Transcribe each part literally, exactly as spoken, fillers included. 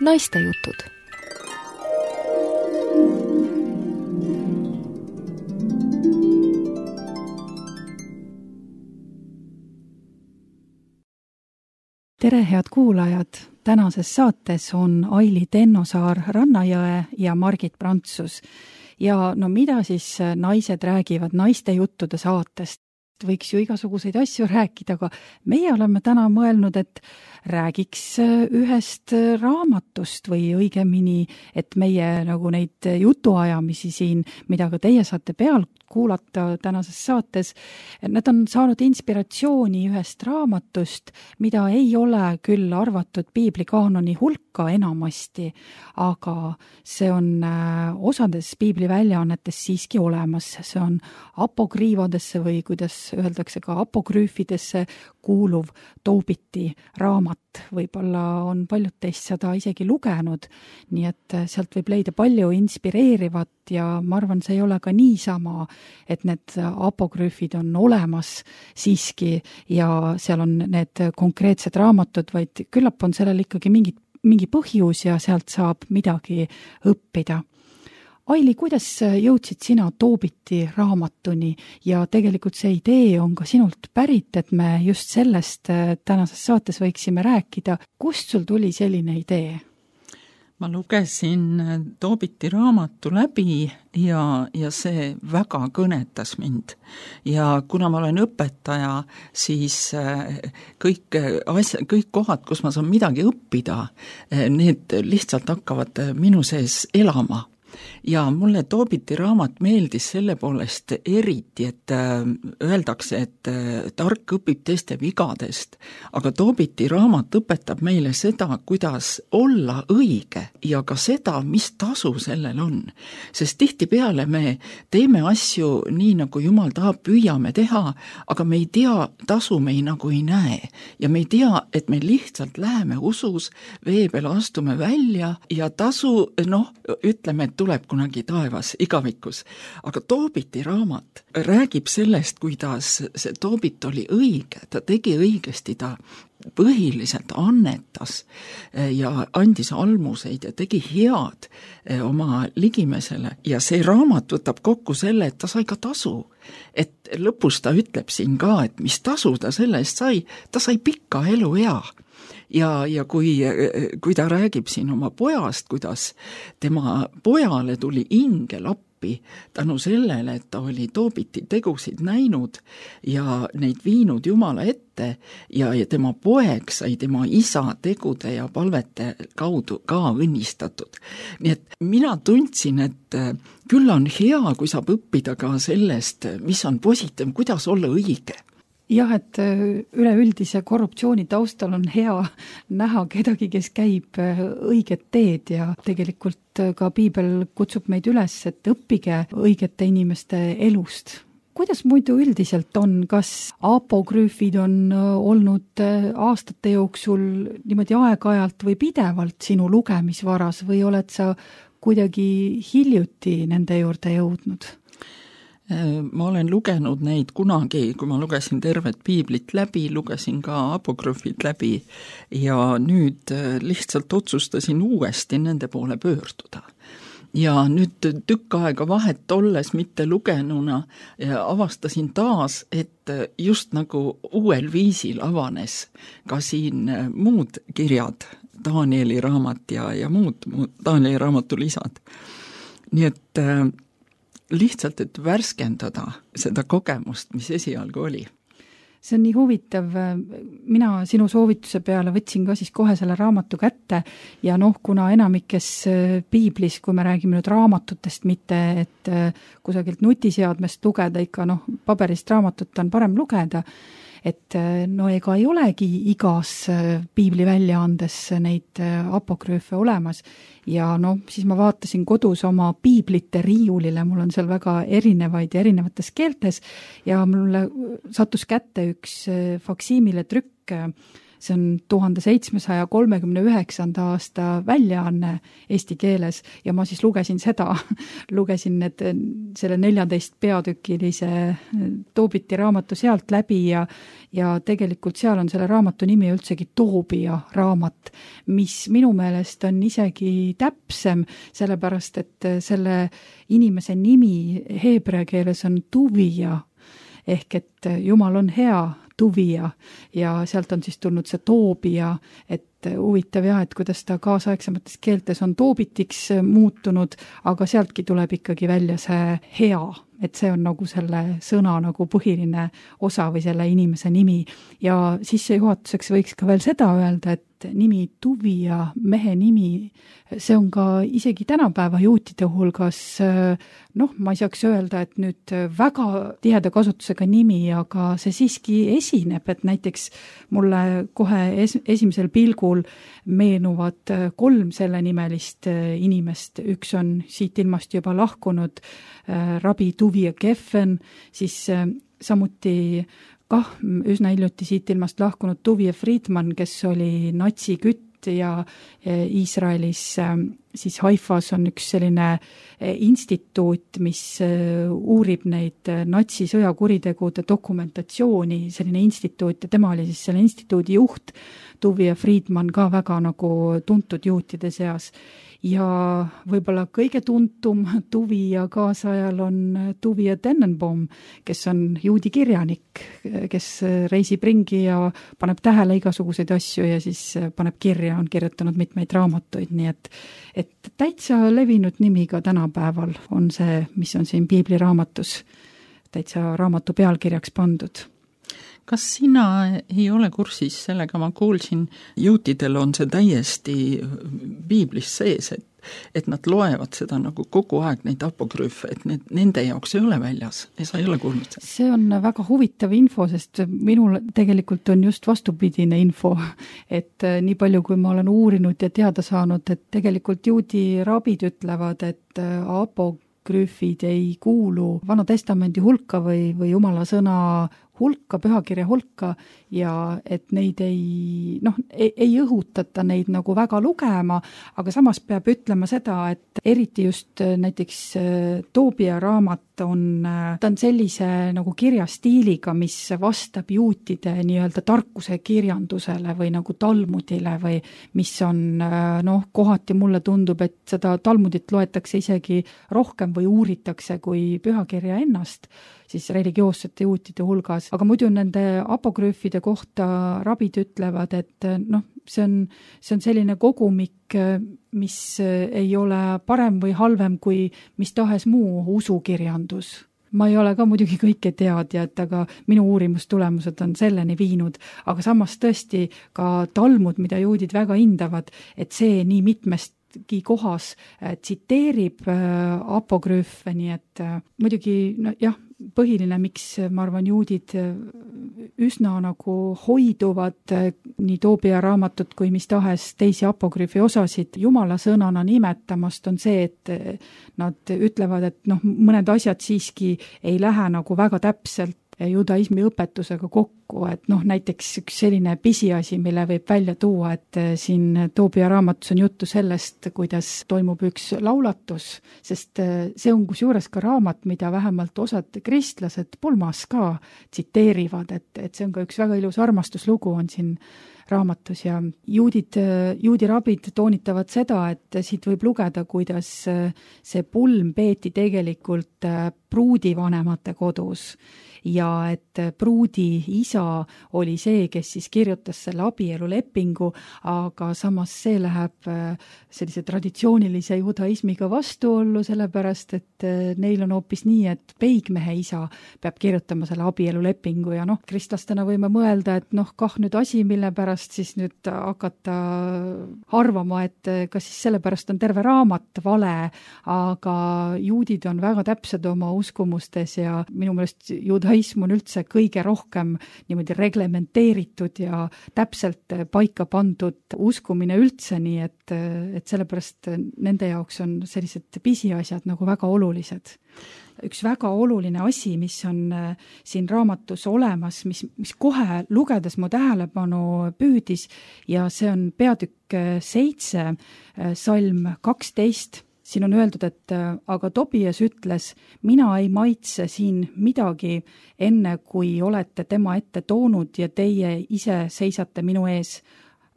naistejutud. Tere, head kuulajad! Tänases saates on Aili Tennosaar Rannajõe ja Margit Prantsus. Ja no mida siis naised räägivad naistejuttude saatest? Võiks ju igasuguseid asju rääkida, aga meie oleme täna mõelnud, et räägiks ühest raamatust või õigemini, et meie nagu neid jutuajamisi siin, mida ka teie saate pealt kuulata tänases saates, nad on saanud inspiratsiooni ühest raamatust, mida ei ole küll arvatud piiblikaanoni hulka enamasti, aga see on osades piibli väljaannetes siiski olemas. See on apokriivadesse või kuidas öeldakse ka apokrüüfidesse kuuluv Toobiti raamat. Võib-olla on paljud teist seda isegi lugenud, nii et sealt võib leida palju inspireerivat ja ma arvan, see ei ole ka niisama, et need apokrüüfid on olemas siiski ja seal on need konkreetsed raamatud, vaid küllap on sellel ikkagi mingi, mingi põhjus ja sealt saab midagi õppida. Aili, kuidas jõudsid sina Toobiti raamatuni ja tegelikult see idee on ka sinult pärit, et me just sellest tänases saates võiksime rääkida. Kust sul tuli selline idee? Ma lugesin Toobiti raamatu läbi ja, ja see väga kõnetas mind. Ja kuna ma olen õpetaja, siis kõik, asja, kõik kohad, kus ma saan midagi õppida, need lihtsalt hakkavad minu sees elama. Ja mulle Toobiti raamat meeldis selle poolest eriti, et öeldakse, et tark õpib teiste vigadest, aga Toobiti raamat õpetab meile seda, kuidas olla õige ja ka seda, mis tasu sellel on. Sest tihtipeale me teeme asju nii, nagu Jumal tahab, püüame teha, aga me ei tea, tasu me ei nagu ei näe. Ja me ei tea, et me lihtsalt läheme usus, vee peale astume välja ja tasu, noh, ütleme, et tuleb kunagi taevas igavikus. Aga Toobiti raamat räägib sellest, kuidas see Toobit oli õige, ta tegi õigesti, ta põhiliselt annetas ja andis almuseid ja tegi head oma ligimesele. Ja see raamat võtab kokku selle, et ta sai ka tasu. Et lõpus ta ütleb siin ka, et mis tasu ta selle eest sai, ta sai pikka elu hea. Ja, ja kui, kui ta räägib siin oma pojast, kuidas tema pojale tuli ingel appi tänu sellele, et ta oli Toobiti tegusid näinud ja neid viinud Jumala ette ja, ja tema poeg sai tema isa tegude ja palvete kaudu ka õnnistatud. Nii et mina tundsin, et küll on hea, kui saab õppida ka sellest, mis on positiivne, kuidas olla õige. Jah, et üleüldise korruptsiooni taustal on hea näha kedagi, kes käib õiget teed ja tegelikult ka piibel kutsub meid üles, et õppige õigete inimeste elust. Kuidas muidu üldiselt on, kas apokrüüfid on olnud aastate jooksul niimoodi aeg-ajalt või pidevalt sinu lugemisvaras või oled sa kuidagi hiljuti nende juurde jõudnud? Ma olen lugenud neid kunagi, kui ma lugesin tervet piiblit läbi, lugesin ka apokrüüfid läbi ja nüüd lihtsalt otsustasin uuesti nende poole pöörduda. Ja nüüd tükk aega vahet olles mitte lugenuna avastasin taas, et just nagu uuel viisil avanes ka siin muud kirjad, Danieli raamat ja, ja muud, muud Danieli raamatu lisad. Nii et lihtsalt, et värskendada seda kogemust, mis esialgu oli. See on nii huvitav. Mina sinu soovituse peale võtsin ka siis kohe selle raamatu kätte ja noh, kuna enamikes piiblis, kui me räägime nüüd raamatutest, mitte et kusagilt nutiseadmest lugeda, ikka noh, paberist raamatut on parem lugeda, et no ega ei olegi igas piibli väljaandes neid apokrüüfe olemas ja no siis ma vaatasin kodus oma piiblite riiulile, mul on seal väga erinevaid ja erinevates keeltes ja mulle sattus kätte üks faksiimile trükk see on tuhande seitsmesaja kolmekümne üheksanda aasta väljaanne eesti keeles ja ma siis lugesin seda, lugesin need, selle neljateist peatükilise Toobiti raamatu sealt läbi ja, ja tegelikult seal on selle raamatu nimi üldsegi Toobia raamat, mis minu meelest on isegi täpsem, sellepärast et selle inimese nimi heebrea keeles on Tuvia, ehk et Jumal on hea, Tuvia, ja sealt on siis tulnud see Toobia, et huvitav jah, et kuidas ta kaasaegsemates keeltes on Toobitiks muutunud, aga sealtki tuleb ikkagi välja see hea, et see on nagu selle sõna nagu põhiline osa või selle inimese nimi. Ja sissejuhatuseks võiks ka veel seda öelda, et nimi Tuvia, mehe nimi, see on ka isegi tänapäeva juutide hulgas, noh, ma ei saaks öelda, et nüüd väga tiheda kasutusega nimi, aga see siiski esineb, et näiteks mulle kohe es- esimesel pilgul meenuvad kolm selle nimelist inimest. Üks on siit ilmast juba lahkunud rabi Tuvia Geffen, siis samuti kah üsna hiljuti siit ilmast lahkunud Tuvia Friedman, kes oli natsikütt ja Iisraelis siis Haifas on üks selline instituut, mis uurib neid natsisõjakuritegude dokumentatsiooni, selline instituut ja tema oli siis selle instituudi juht, Tuvia Friedman, ka väga nagu tuntud juutide seas. Ja võib-olla kõige tuntum Tuvia kaasajal on Tuvia Tennenbaum, kes on juudi kirjanik, kes reisib ringi ja paneb tähele igasuguseid asju ja siis paneb kirja, on kirjutanud mitmeid raamatuid, nii et, et täitsa levinud nimi ka tänapäeval on see, mis on siin piibliraamatus täitsa raamatu pealkirjaks pandud. Kas sina ei ole kursis sellega, ma kuulsin, juutidel on see täiesti piiblis sees, et, et nad loevad seda nagu kogu aeg neid apokrüüfe, et need, nende jaoks ei ole väljas, ja sa ei ole kuulnud seda? See on väga huvitav info, sest minul tegelikult on just vastupidine info, et nii palju, kui ma olen uurinud ja teada saanud, et tegelikult juudi rabid ütlevad, et apokrüüfid ei kuulu Vana Testamendi hulka või, või Jumala sõna hulka, pühakirja hulka ja et neid ei, noh, ei, ei õhutata neid nagu väga lugema, aga samas peab ütlema seda, et eriti just näiteks Toobia raamat on, ta on sellise nagu kirjastiiliga, mis vastab juutide nii-öelda tarkuse kirjandusele või nagu talmudile või mis on, noh, kohati mulle tundub, et seda talmudit loetakse isegi rohkem või uuritakse kui pühakirja ennast, siis religioossete juutide hulgas. Aga muidu nende apokrüüfide kohta rabid ütlevad, et noh, see on, see on selline kogumik, mis ei ole parem või halvem kui mis tahes muu usukirjandus. Ma ei ole ka muidugi kõike teadjad, aga minu uurimustulemused on selleni viinud, aga samas tõesti ka talmud, mida juudid väga hindavad, et see nii mitmest kohas tsiteerib apokrüüfe, nii et muidugi no, jah, põhiline, miks ma arvan, juudid üsna nagu hoiduvad nii Toobia raamatut kui mis tahes teisi apokrüüfi osasid Jumala sõnana nimetamast, on see, et nad ütlevad, et noh, mõned asjad siiski ei lähe nagu väga täpselt judaismi õpetusega kokku, et noh, näiteks üks selline pisiasi, mille võib välja tuua, et siin Toobia raamatus on juttu sellest, kuidas toimub üks laulatus, sest see on kusjuures ka raamat, mida vähemalt osad kristlased pulmas ka tsiteerivad, et, et see on ka üks väga ilus armastuslugu on siin raamatus ja juudid, juudi rabid toonitavad seda, et siit võib lugeda, kuidas see pulm peeti tegelikult pruudivanemate kodus ja et pruudi isa oli see, kes siis kirjutas selle abielulepingu, aga samas see läheb sellise traditsioonilise judaismiga vastuollu, sellepärast et neil on hoopis nii, et peigmehe isa peab kirjutama selle abielulepingu ja noh, kristlastena võime mõelda, et noh, kah nüüd asi, mille pärast siis nüüd hakata arvama, et kas siis sellepärast on terve raamat vale, aga juudid on väga täpsed oma uskumustes ja minu meelest judaism on üldse kõige rohkem niimoodi reglementeeritud ja täpselt paika pandud uskumine üldse, nii et, et sellepärast nende jaoks on sellised pisiasjad nagu väga olulised. üks väga oluline asi, mis on siin raamatus olemas, mis, mis kohe lugedes mu tähelepanu püüdis ja see on peatükk seitse, salm kaksteist. Siin on öeldud, et aga Tobias ütles, mina ei maitse siin midagi enne, kui olete tema ette toonud ja teie ise seisate minu ees.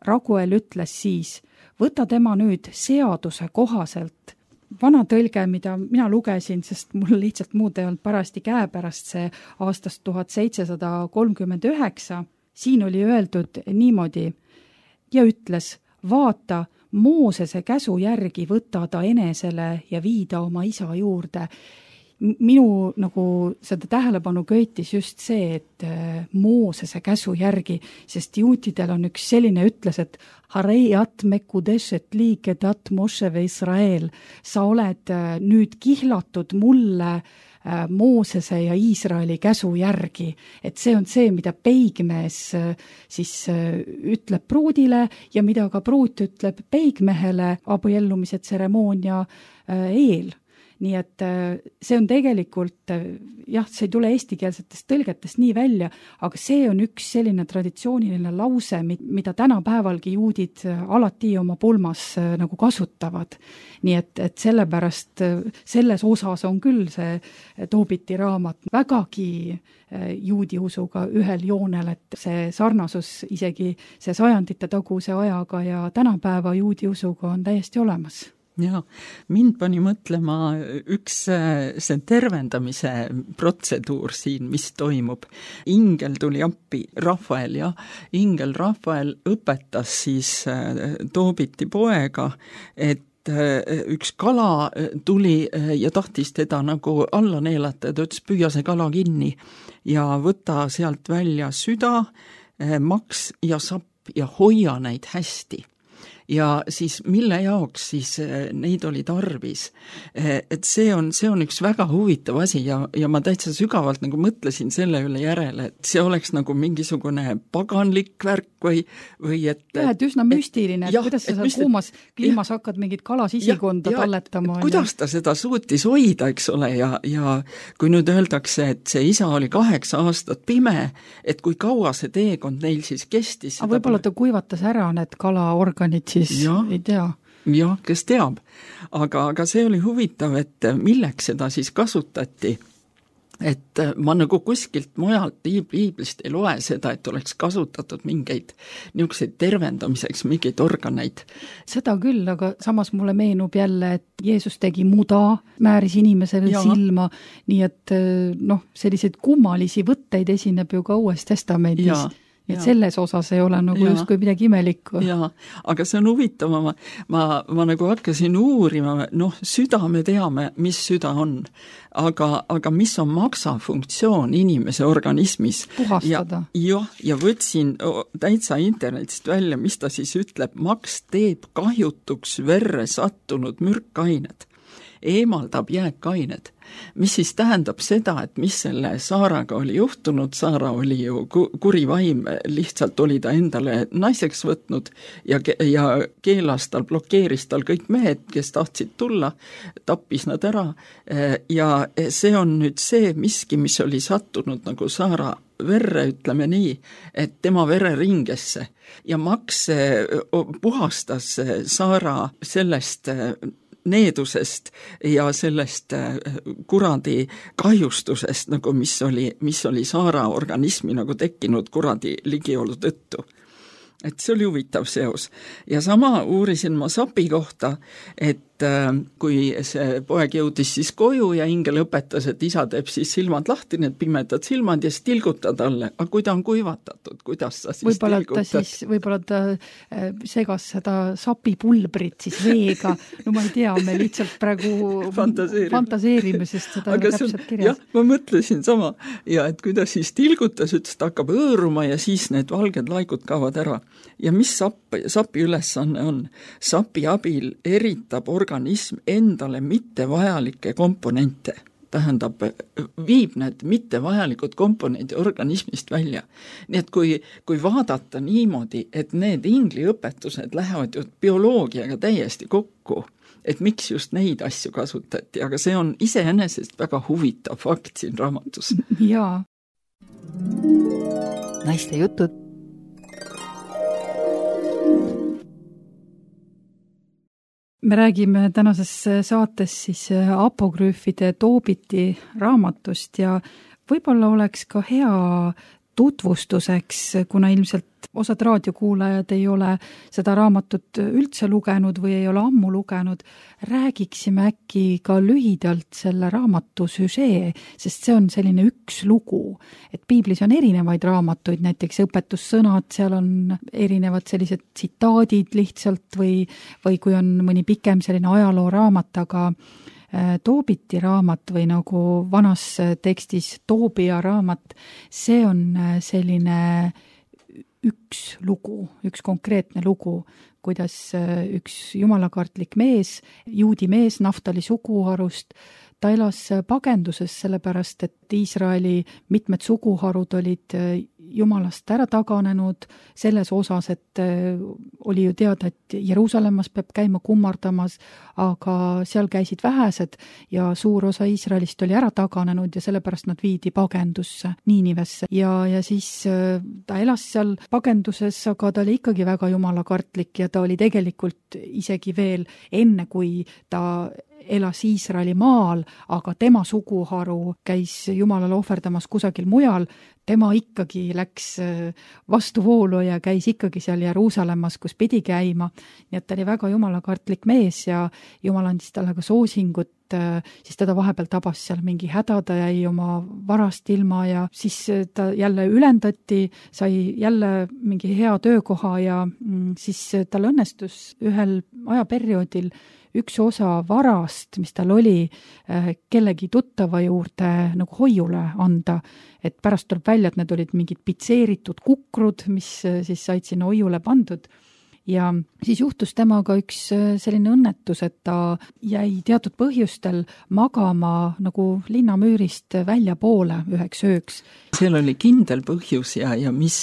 Raguel ütles siis, võta tema nüüd seaduse kohaselt. Vana tõlge, mida mina lugesin, sest mul lihtsalt muud ei olnud parasti käepärast see aastast tuhat seitsesada kolmkümmend üheksa, siin oli öeldud niimoodi ja ütles, vaata, Moosese käsu järgi võtta ta enesele ja viida oma isa juurde. Minu nagu seda tähelepanu köitis just see, et Moosese käsu järgi, sest juutidel on üks selline ütles, et Harei at mekudeshet liiket at Mosheve Israel, sa oled nüüd kihlatud mulle Moosese ja Iisraeli käsu järgi, et see on see, mida peigmees siis ütleb pruudile ja mida ka pruut ütleb peigmehele abiellumise tseremoonia eel. Nii et see on tegelikult, jah, see ei tule eestikeelsetest tõlgetest nii välja, aga see on üks selline traditsiooniline lause, mida tänapäevalgi juudid alati oma pulmas nagu kasutavad. Nii et, et sellepärast selles osas on küll see Toobiti raamat vägagi juudi usuga ühel joonel, et see sarnasus isegi see sajandite taguse ajaga ja tänapäeva juudi usuga on täiesti olemas. Ja, mind pani mõtlema üks see tervendamise protseduur siin, mis toimub. Ingel tuli appi, Rafael, ja Ingel Rafael õpetas siis Toobiti poega, et üks kala tuli ja tahtis teda nagu alla neelata ja ta ütles, püüa see kala kinni ja võta sealt välja süda, maks ja sapp ja hoia neid hästi. Ja siis mille jaoks siis neid oli tarvis. Et see on, see on üks väga huvitav asi ja, ja ma täitsa sügavalt nagu mõtlesin selle üle järele, et see oleks nagu mingisugune paganlik värk või, või et... Ja, et üsna müstiline, et, et kuidas sa seal kuumas kliimas ja, hakkad mingit kalasisikonda ja, talletama. Ja, kuidas ta seda suutis hoida, eks ole, ja, ja kui nüüd öeldakse, et see isa oli kaheksa aastat pime, et kui kaua see teekond neil siis kestis. Aga võib-olla ta kuivatas ära need kalaorganid siis ja, ei tea. Jah, kes teab. Aga, aga see oli huvitav, et milleks seda siis kasutati. Et ma nagu kuskilt mujalt piiblist ei loe seda, et oleks kasutatud mingeid niisuguseid tervendamiseks, mingeid organeid. Seda küll, aga samas mulle meenub jälle, et Jeesus tegi muda, määris inimesele ja. silma, nii et noh, selliseid kummalisi võtteid esineb ju ka Uues Testamendis. Ja. Et ja. selles osas ei ole nagu just kui midagi imelikku. Jaa, aga see on huvitav, ma, ma, ma nagu hakkasin uurima, noh, süda me teame, mis süda on, aga, aga mis on maksafunktsioon inimese organismis. Puhastada. Ja, ja võtsin täitsa internetist välja, mis ta siis ütleb, maks teeb kahjutuks verre sattunud mürkained, eemaldab jääkained. Mis siis tähendab seda, et mis selle Saaraga oli juhtunud, Saara oli ju kuri vaim, lihtsalt oli ta endale naiseks võtnud ja, ja keelas tal, blokeeris tal kõik mehed, kes tahtsid tulla, tappis nad ära ja see on nüüd see miski, mis oli sattunud nagu Saara verre, ütleme nii, et tema vereringesse ja Maks puhastas Saara sellest needusest ja sellest kuradi kahjustusest, nagu mis oli, mis oli Saara organismi nagu tekkinud kuradi ligiolu tõttu. Et see oli huvitav seos. Ja sama uurisin ma Sapi kohta, et kui see poeg jõudis siis koju ja Ingel õpetas, et isa teeb siis silmad lahti, need pimedad silmad ja siis tilguta talle. Aga kui ta on kuivatatud, kuidas sa siis võib-olla tilgutad? Ta siis, võib-olla ta segas seda sapipulbrit siis veega. No ma ei tea, me lihtsalt praegu fantaseerime, fantaseerime sest seda aga on täpselt kirjas. Jah, ma mõtlesin sama. Ja et kui ta siis tilgutas, ütles, ta hakkab õõruma ja siis need valged laikud kaovad ära. Ja mis sapi, sapi ülesanne on? Sapi abil eritab organism endale mittevajalikke komponente. Tähendab, viib need mittevajalikud komponendid organismist välja. Nii et kui, kui vaadata niimoodi, et need ingli õpetused lähevad ju bioloogiaga täiesti kokku et miks just neid asju kasutati, aga see on iseenesest väga huvitav fakt siin raamatus. Jaa. Naiste jutud. Me räägime tänases saates siis apokrüüfide Toobiti raamatust ja võib-olla oleks ka hea tutvustuseks, kuna ilmselt osad raadiokuulajad ei ole seda raamatut üldse lugenud või ei ole ammu lugenud, räägiksime äkki ka lühidalt selle raamatu süžee, sest see on selline üks lugu. Et piiblis on erinevaid raamatuid, näiteks õpetussõnad, seal on erinevad sellised tsitaadid lihtsalt või, või kui on mõni pikem selline ajalooraamat, aga Toobiti raamat või nagu vanas tekstis Toobia raamat, see on selline üks lugu, üks konkreetne lugu, kuidas üks jumalakartlik mees, juudi mees Naftali suguharust, ta elas pagenduses sellepärast, et Iisraeli mitmed suguharud olid jumalast ära taganenud selles osas, et oli ju teada, et Jeruusalemmas peab käima kummardamas, aga seal käisid vähesed ja suur osa Iisraelist oli ära taganenud ja sellepärast nad viidi pagendusse, Niinivesse. Ja, ja siis ta elas seal pagenduses, aga ta oli ikkagi väga jumalakartlik ja ta oli tegelikult isegi veel enne, kui ta elas Iisraeli maal, aga tema suguharu käis Jumalale ohverdamas kusagil mujal, tema ikkagi läks vastuvoolu ja käis ikkagi seal Jeruusalemmas, kus pidi käima. Nii et ta oli väga jumalakartlik mees ja Jumal andis talle ka soosingut, siis teda vahepeal tabas seal mingi häda, ta jäi oma varast ilma ja siis ta jälle ülendati, sai jälle mingi hea töökoha ja siis tal õnnestus ühel ajaperioodil üks osa varast, mis tal oli, kellegi tuttava juurde nagu hoiule anda, et pärast tuleb välja, et need olid mingid pitseeritud kukrud, mis siis said sinna hoiule pandud. Ja siis juhtus temaga üks selline õnnetus, et ta jäi teatud põhjustel magama nagu linnamüürist välja poole üheks ööks. Seal oli kindel põhjus ja, ja mis,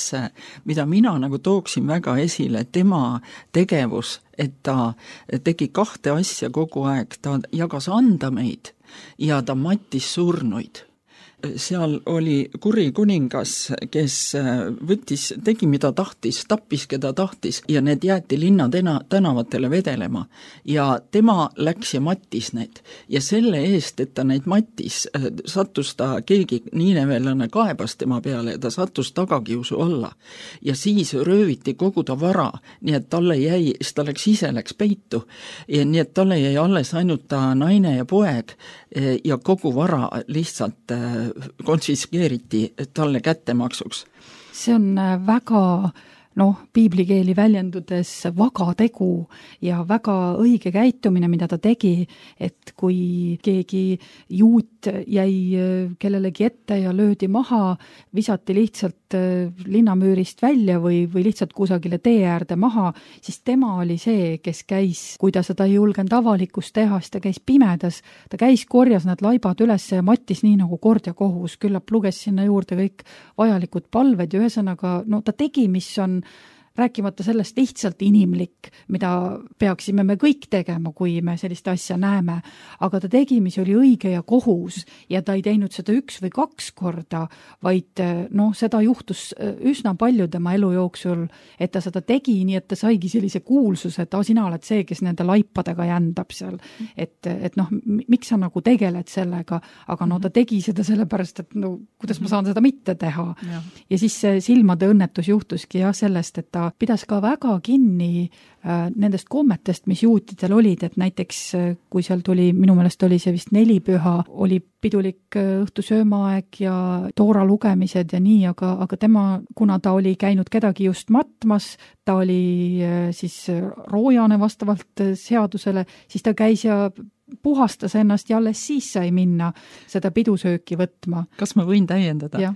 mida mina nagu tooksin väga esile, tema tegevus, et ta tegi kahte asja kogu aeg, ta jagas andameid ja ta mattis surnuid. Seal oli kuri kuningas, kes võttis, tegi mida tahtis, tappis keda tahtis ja need jäeti linna tena, tänavatele vedelema ja tema läks ja mattis need ja selle eest, et ta neid mattis, sattus ta, keegi niinevelane kaebas tema peale ja ta sattus tagakiusu alla ja siis rööviti kogu ta vara, nii et talle jäi, siis ta läks ise läks peitu ja nii et talle jäi alles ainult ta naine ja poeg ja kogu vara lihtsalt konfiskeeriti talle kättemaksuks. See on väga, noh, piiblikeeli väljendudes vaga tegu ja väga õige käitumine, mida ta tegi, et kui keegi juut jäi kellelegi ette ja löödi maha, visati lihtsalt linnamüürist välja või, või lihtsalt kusagile tee äärde maha, siis tema oli see, kes käis, kui ta seda ei julgenud avalikust teha, siis ta käis pimedas, ta käis, korjas need laibad üles ja mattis nii nagu kord ja kohus, küllap luges sinna juurde kõik vajalikud palved ja ühesõnaga, no ta tegi, mis on rääkimata sellest lihtsalt inimlik, mida peaksime me kõik tegema, kui me sellist asja näeme, aga ta tegi, mis oli õige ja kohus ja ta ei teinud seda üks või kaks korda, vaid noh, seda juhtus üsna palju tema elu jooksul, et ta seda tegi, nii et ta saigi sellise kuulsuse, et ah, sina oled see, kes nende laipadega jändab seal, et, et noh, miks sa nagu tegeled sellega, aga no ta tegi seda sellepärast, et no kuidas ma saan seda mitte teha. Ja, ja siis see silmade õnnetus juhtuski jah sellest, et ta pidas ka väga kinni nendest kommetest, mis juutidel olid, et näiteks kui seal tuli, minu meelest oli see vist nelipüha, oli pidulik õhtusöömaaeg ja toora lugemised ja nii, aga, aga tema, kuna ta oli käinud kedagi just matmas, ta oli siis roojane vastavalt seadusele, siis ta käis ja puhastas ennast ja alles siis sai minna seda pidusööki võtma. Kas ma võin täiendada?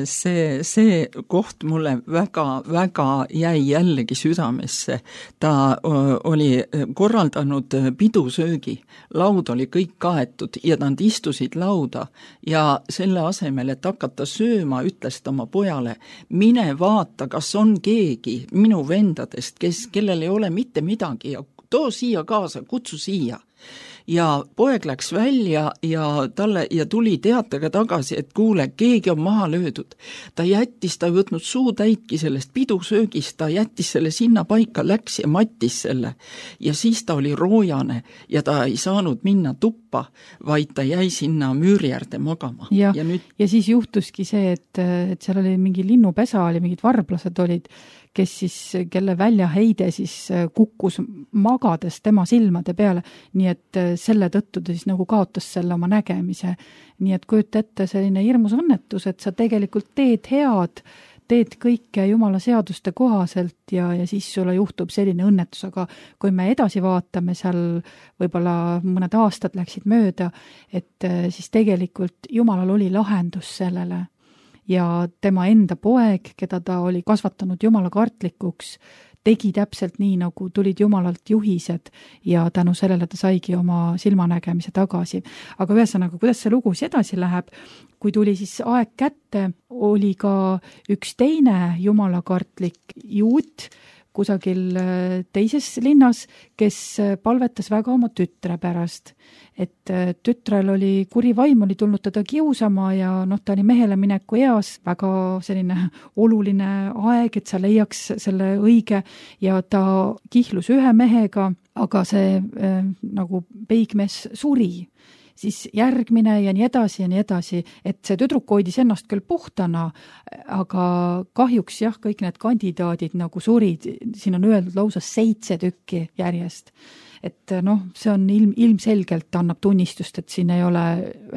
See, see koht mulle väga, väga jäi jällegi südamesse. Ta oli korraldanud pidusöögi, laud oli kõik kaetud ja nad istusid lauda ja selle asemel, et hakata sööma, ütles ta oma pojale, mine vaata, kas on keegi minu vendadest, kes, kellel ei ole mitte midagi ja too siia kaasa, kutsu siia. Ja poeg läks välja ja talle ja tuli teatega tagasi, et kuule, keegi on maha löödud. Ta jättis, ta ei võtnud suu täitki sellest pidusöögist, ta jättis selle sinna paika, läks ja mattis selle. Ja siis ta oli roojane ja ta ei saanud minna tuppa, vaid ta jäi sinna müüri äärde magama. Ja, ja, nüüd... ja siis juhtuski see, et, et seal oli mingi linnupesa, oli mingid varblased olid, kes siis, kelle väljaheide siis kukkus magades tema silmade peale, nii et selle tõttu ta siis nagu kaotas selle oma nägemise. Nii et kujuta ette selline hirmus õnnetus, et sa tegelikult teed head, teed kõike Jumala seaduste kohaselt ja, ja siis sulle juhtub selline õnnetus, aga kui me edasi vaatame, seal võib-olla mõned aastad läksid mööda, et siis tegelikult Jumalal oli lahendus sellele. Ja tema enda poeg, keda ta oli kasvatanud Jumala kartlikuks, tegi täpselt nii, nagu tulid Jumalalt juhised ja tänu sellele ta saigi oma silmanägemise tagasi. Aga ühesõnaga, kuidas see lugu edasi läheb, kui tuli siis aeg kätte, oli ka üks teine Jumala kartlik juut kusagil teises linnas, kes palvetas väga oma tütre pärast. Et tütrel oli kuri vaim, oli tulnud teda kiusama ja noh, ta oli mehele mineku eas, väga selline oluline aeg, et sa leiaks selle õige ja ta kihlus ühe mehega, aga see äh, nagu peigmees suri. Siis järgmine ja nii edasi ja nii edasi, et see tüdruk hoidis ennast küll puhtana, aga kahjuks jah, kõik need kandidaadid nagu surid, siin on öeldud lausa seitse tükki järjest. Et noh, see on ilm, ilmselgelt annab tunnistust, et siin ei ole,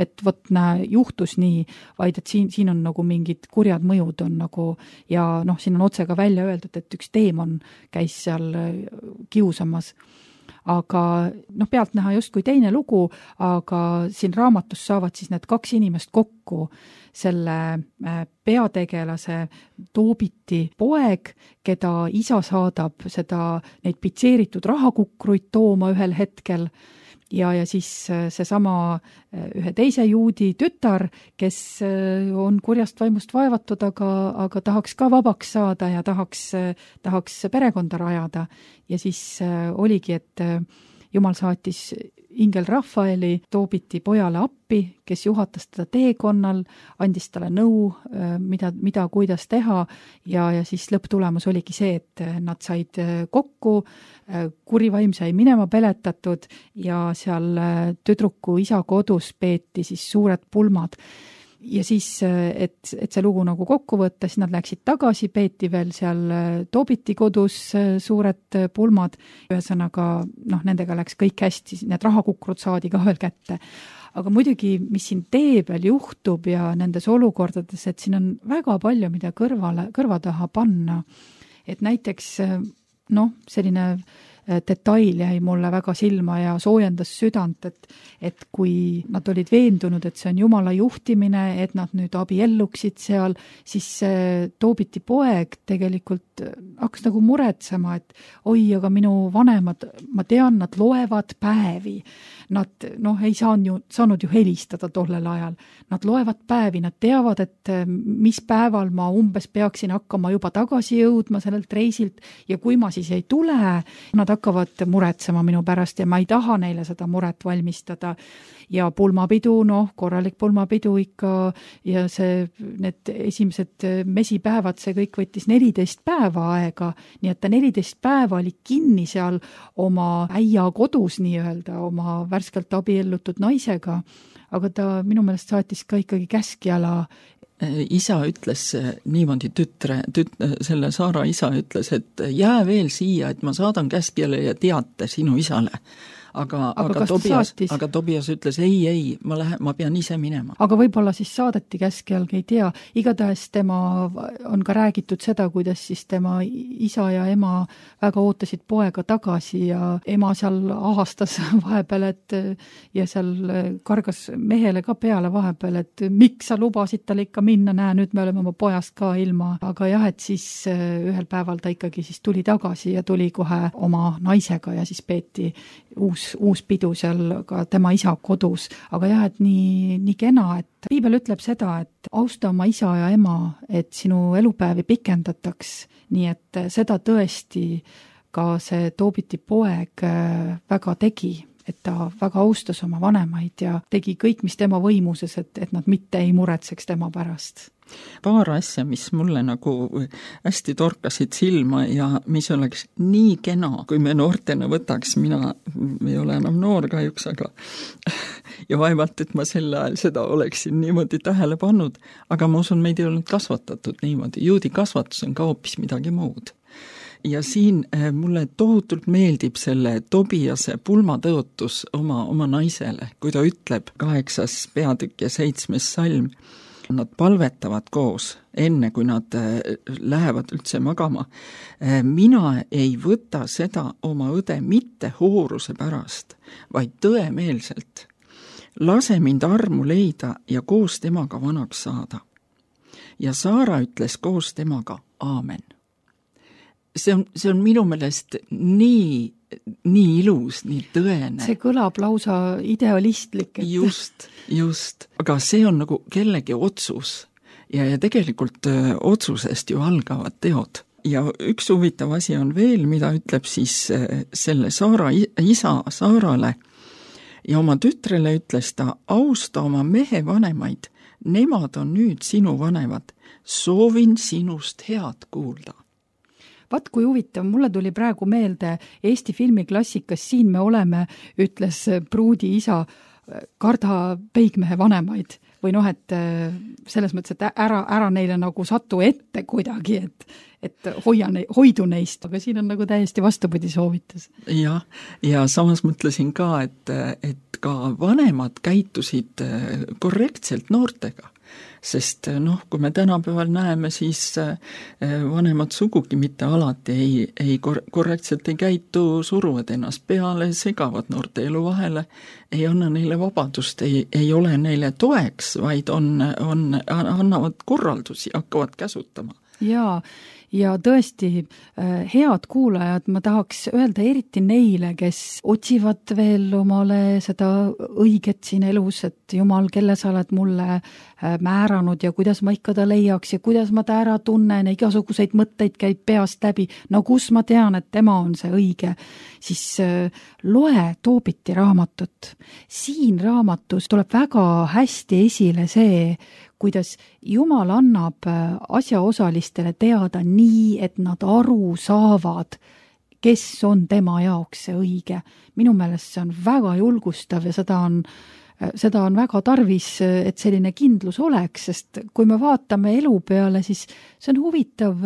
et võt näe, juhtus nii, vaid et siin, siin on nagu mingid kurjad mõjud on nagu, ja noh, siin on otse ka välja öeldud, et üks teemon käis seal kiusamas. Aga noh, pealt näha justkui teine lugu, aga siin raamatus saavad siis need kaks inimest kokku, selle peategelase Toobiti poeg, keda isa saadab seda neid pitseeritud rahakukruid tooma ühel hetkel ja, ja siis seesama ühe teise juudi tütar, kes on kurjast vaimust vaevatud, aga, aga tahaks ka vabaks saada ja tahaks, tahaks perekonda rajada. Ja siis oligi, et Jumal saatis ingel Rafaeli Toobiti pojale appi, kes juhatas teda teekonnal, andis talle nõu, mida, mida kuidas teha ja, ja siis lõpptulemus oligi see, et nad said kokku, kurivaim sai minema peletatud ja seal tüdruku isa kodus peeti siis suured pulmad. Ja siis, et, et see lugu nagu kokku võtta, siis nad läksid tagasi, peeti veel seal Toobiti kodus suured pulmad. Ühesõnaga, noh, nendega läks kõik hästi, need rahakukrud saadi ka veel kätte. Aga muidugi, mis siin tee peal juhtub ja nendes olukordades, et siin on väga palju, mida kõrvale, kõrva taha panna. Et näiteks, noh, selline detail jäi mulle väga silma ja soojendas südant, et, et kui nad olid veendunud, et see on Jumala juhtimine, et nad nüüd abielluksid seal, siis Toobiti poeg tegelikult hakkas nagu muretsema, et oi, aga minu vanemad, ma tean, nad loevad päevi. Nad noh, ei saanud ju, saanud ju helistada tollel ajal. Nad loevad päevi, nad teavad, et mis päeval ma umbes peaksin hakkama juba tagasi jõudma sellelt reisilt ja kui ma siis ei tule, nad hakkavad muretsema minu pärast ja ma ei taha neile seda muret valmistada. Ja pulmapidu, noh, korralik pulmapidu ikka ja see, need esimesed mesipäevad, see kõik võttis neliteist päeva aega, nii et ta neliteist päeva oli kinni seal oma äia kodus nii-öelda, oma värskelt abiellutud naisega, aga ta minu meelest saatis ka ikkagi käskjala. Isa ütles niimoodi tütre, tüt, selle Saara isa ütles, et jää veel siia, et ma saadan käskjale ja teate sinu isale. Aga, aga, aga, Tobias, aga Tobias ütles, ei, ei, ma, lähen, ma pean ise minema. Aga võib-olla siis saadeti käskjalgi, ei tea. Igatahes tema on ka räägitud seda, kuidas siis tema isa ja ema väga ootasid poega tagasi ja ema seal ahastas vahepeal, et ja seal kargas mehele ka peale vahepeal, et miks sa lubasid tal ikka minna, näe, nüüd me oleme oma pojast ka ilma. Aga jah, et siis ühel päeval ta ikkagi siis tuli tagasi ja tuli kohe oma naisega ja siis peeti uus uus pidu seal ka tema isa kodus, aga jah, et nii, nii kena, et Piibel ütleb seda, et austa oma isa ja ema, et sinu elupäevi pikendataks, nii et seda tõesti ka see Toobiti poeg väga tegi, et ta väga austas oma vanemaid ja tegi kõik, mis tema võimuses, et, et nad mitte ei muretseks tema pärast. Paar asja, mis mulle nagu hästi torkasid silma ja mis oleks nii kena, kui me noortena võtaks, mina ei ole enam noor kahjuks, aga ja vaevalt, et ma sel ajal seda oleksin niimoodi tähele pannud, aga ma usun, meid ei olnud kasvatatud niimoodi. Juudi kasvatus on ka hoopis midagi muud. Ja siin mulle tohutult meeldib selle Tobiase pulmatõotus oma, oma naisele, kui ta ütleb kaheksas peatükk ja seitsmes salm, nad palvetavad koos, enne kui nad lähevad üldse magama. Mina ei võta seda oma õde mitte hooruse pärast, vaid tõemeelselt. Lase mind armu leida ja koos temaga vanaks saada. Ja Saara ütles koos temaga aamen. See on, see on minu meelest nii, nii ilus, nii tõene. See kõlab lausa idealistlik. Et... Just, just. Aga see on nagu kellegi otsus ja, ja tegelikult öö, otsusest ju algavad teod. Ja üks huvitav asi on veel, mida ütleb siis öö, selle Saara isa Saarale ja oma tütrele ütles ta, austa oma mehe vanemaid, nemad on nüüd sinu vanemad, soovin sinust head kuulda. Vaat kui huvitav, mulle tuli praegu meelde Eesti filmiklassikas Siin me oleme, ütles pruudi isa, karda peigmehe vanemaid või noh, et selles mõttes, et ära, ära neile nagu satu ette kuidagi, et, et hoia ne, hoidu neist, aga siin on nagu täiesti vastupidi soovitus. Ja, ja samas mõtlesin ka, et, et ka vanemad käitusid korrektselt noortega. Sest noh, kui me tänapäeval näeme, siis vanemad sugugi mitte alati ei, ei korrektselt ei käitu, suruvad ennast peale, segavad noorte elu vahele, ei anna neile vabadust, ei, ei ole neile toeks, vaid on, on, annavad korraldusi, hakkavad käsutama. Jaa, ja tõesti head kuulajad, ma tahaks öelda eriti neile, kes otsivad veel omale seda õiget siin elus, et Jumal, kelle sa oled mulle määranud ja kuidas ma ikka ta leiaks ja kuidas ma ta ära tunnen ja igasuguseid mõtteid käib peast läbi, no kus ma tean, et tema on see õige, siis loe Toobiti raamatut. Siin raamatus tuleb väga hästi esile see, kuidas Jumal annab asjaosalistele teada nii, et nad aru saavad, kes on tema jaoks see õige. Minu meelest see on väga julgustav ja seda on, seda on väga tarvis, et selline kindlus oleks, sest kui me vaatame elu peale, siis see on huvitav.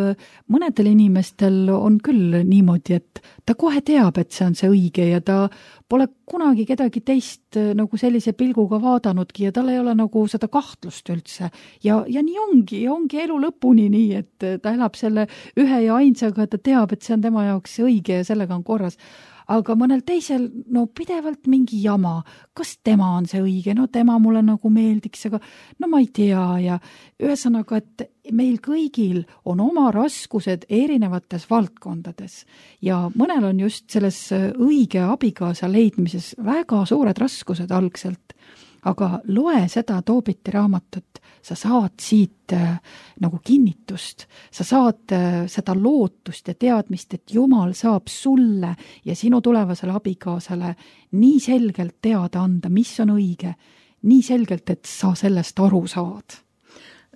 Mõnedel inimestel on küll niimoodi, et ta kohe teab, et see on see õige ja ta pole kunagi kedagi teist nagu sellise pilguga vaadanudki ja tal ei ole nagu seda kahtlust üldse. Ja, ja nii ongi, ja ongi elu lõpuni nii, et ta elab selle ühe ja ainsaga, ta teab, et see on tema jaoks õige ja sellega on korras. Aga mõnel teisel, no pidevalt mingi jama, kas tema on see õige, no tema mulle nagu meeldiks, aga no ma ei tea ja ühesõnaga, et meil kõigil on oma raskused erinevates valdkondades ja mõnel on just selles õige abikaasa leidmises väga suured raskused algselt, aga loe seda Toobiti raamatut, sa saad siit äh, nagu kinnitust, sa saad äh, seda lootust ja teadmist, et Jumal saab sulle ja sinu tulevasele abikaasale nii selgelt teada anda, mis on õige, nii selgelt, et sa sellest aru saad.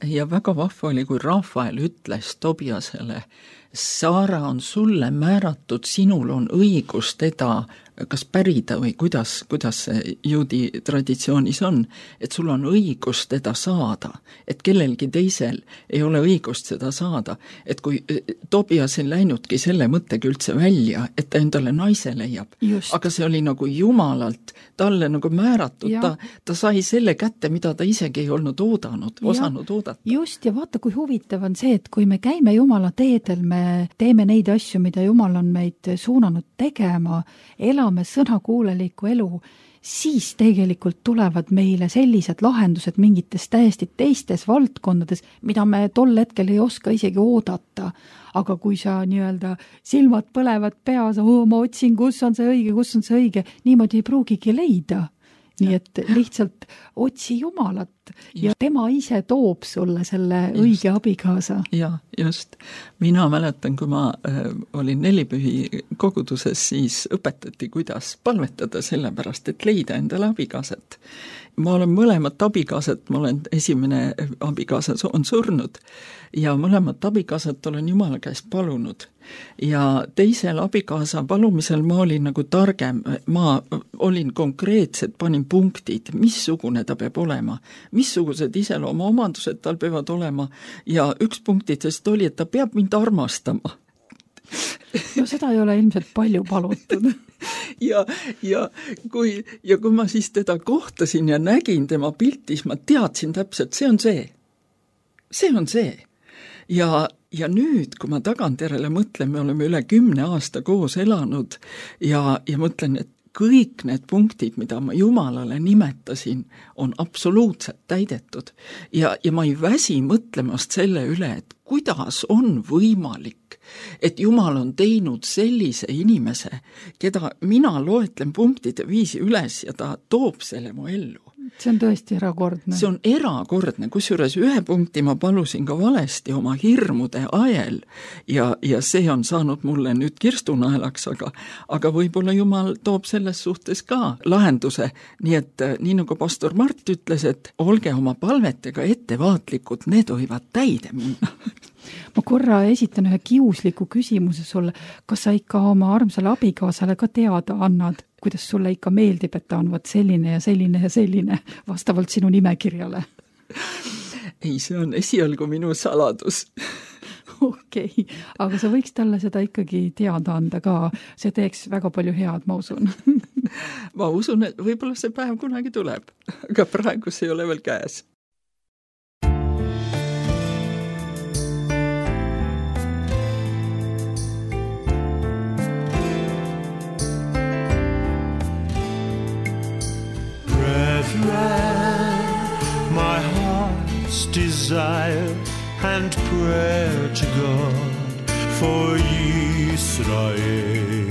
Ja väga vahva oli, kui Rafael ütles Tobiasele, Saara on sulle määratud, sinul on õigus teda kas pärida või kuidas, kuidas see juudi traditsioonis on, et sul on õigus teda saada, et kellelgi teisel ei ole õigust seda saada, et kui Tobias ei läinudki selle mõttega üldse välja, et ta endale naise leiab, just. Aga see oli nagu Jumalalt talle nagu määratud, ta, ta sai selle kätte, mida ta isegi ei olnud oodanud, osanud oodata. Just, ja vaata, kui huvitav on see, et kui me käime Jumala teedel, me teeme neid asju, mida Jumal on meid suunanud tegema, elame sõnakuuleliku elu, siis tegelikult tulevad meile sellised lahendused mingites täiesti teistes valdkondades, mida me tol hetkel ei oska isegi oodata. Aga kui sa nii-öelda silmad põlevad peas, oh, ma otsin, kus on see õige, kus on see õige, niimoodi ei pruugigi leida. nii et lihtsalt otsi Jumalat ja tema ise toob sulle selle just. Õige abikaasa. Ja, just. Mina mäletan, kui ma äh, olin nelipühi koguduses, siis õpetati, kuidas palvetada sellepärast, et leida endale abikaasat. Ma olen mõlemat abikaasat, ma olen esimene abikaasa on surnud ja mõlemat abikaasat olen Jumala käest palunud. Ja teisel abikaasa palumisel ma olin nagu targem, ma olin konkreetselt, panin punktid, missugune ta peab olema, missugused iseloomu omandused tal peavad olema ja üks punktidest oli, et ta peab mind armastama. No seda ei ole ilmselt palju palutud. ja, ja, kui, ja kui ma siis teda kohtasin ja nägin tema piltis, ma teadsin täpselt, see on see. See on see. Ja, ja nüüd, kui ma tagantjärele mõtlen, me oleme üle kümne aasta koos elanud ja, ja mõtlen, et kõik need punktid, mida ma Jumalale nimetasin, on absoluutselt täidetud. Ja, ja ma ei väsi mõtlemast selle üle, et kuidas on võimalik, et Jumal on teinud sellise inimese, keda mina loetlen punktide viisi üles ja ta toob selle mu ellu. See on tõesti erakordne. See on erakordne, kusjuures ühe punkti ma palusin ka valesti oma hirmude ajel ja, ja see on saanud mulle nüüd kirstunaelaks, aga, aga võib-olla Jumal toob selles suhtes ka lahenduse, nii et nii nagu pastor Mart ütles, et olge oma palvetega ettevaatlikud, need võivad täide minna. Ma korra esitan ühe kiusliku küsimuse sulle, kas sa ikka oma armsale abikaasale ka teada annad, kuidas sulle ikka meeldib, et ta on võt selline ja selline ja selline vastavalt sinu nimekirjale? Ei, see on esialgu minu saladus. Okei, okay. Aga sa võiks talle seda ikkagi teada anda ka, see teeks väga palju head, ma usun. Ma usun, et võib-olla see päev kunagi tuleb, aga praegu see ei ole veel käes. My heart's desire and prayer to God for Israel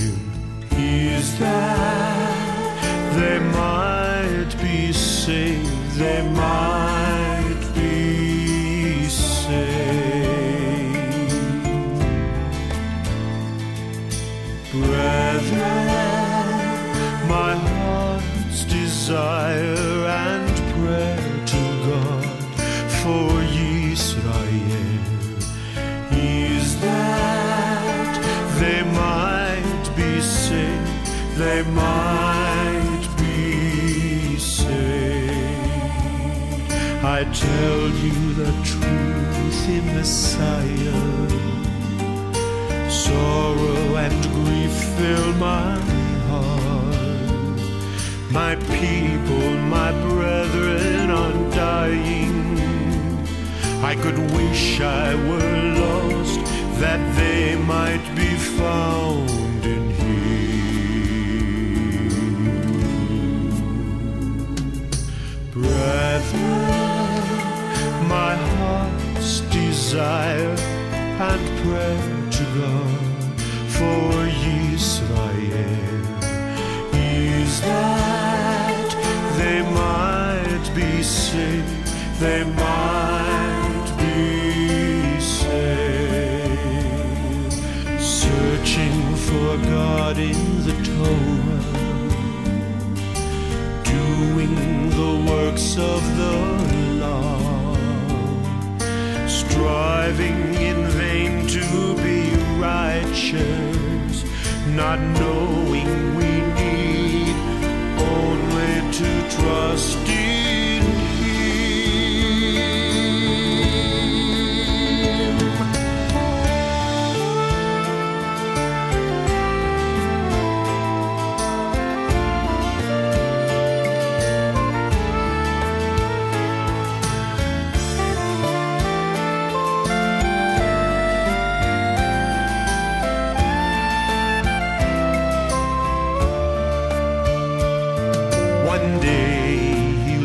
is that they might be saved, they might be saved. Brethren, my heart's desire and prayer to God for Israel is that they might be saved, they might be saved. I tell you the truth in Messiah, sorrow and grief fill my heart. My people, my brethren are dying. I could wish I were lost, that they might be found in Him. Brethren, my heart's desire and prayer to God for Israel is that they might be saved, they might be saved. Searching for God in the Torah, doing the works of the law, striving in vain to be righteous, not knowing we need only to trust in One day he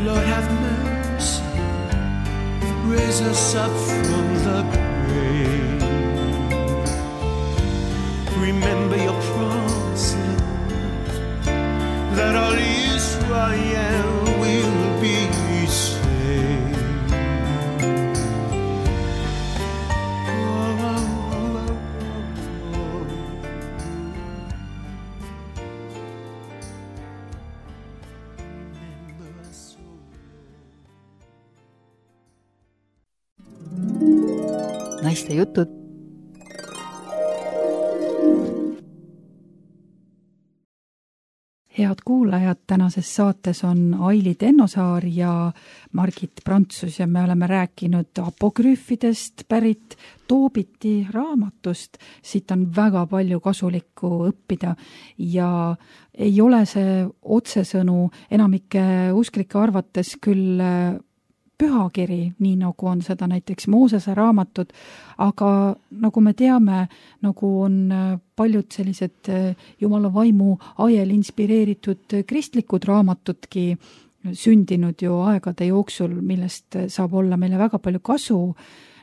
Lord have mercy, raise us up from the grave. Remember your promise, Lord, that all Israel will be saved. Oh, oh, oh, oh. Remember us, oh. naiste jutud. Head kuulajad, tänases saates on Aili Tennosaar ja Margit Prantsus ja me oleme rääkinud apokrüüfidest pärit Toobiti raamatust. Siit on väga palju kasulikku õppida ja ei ole see otsesõnu enamike usklike arvates küll pühakiri, nii nagu on seda näiteks Moosese raamatud, aga nagu me teame, nagu on paljud sellised Jumala vaimu ajel inspireeritud kristlikud raamatudki sündinud ju aegade jooksul, millest saab olla meile väga palju kasu.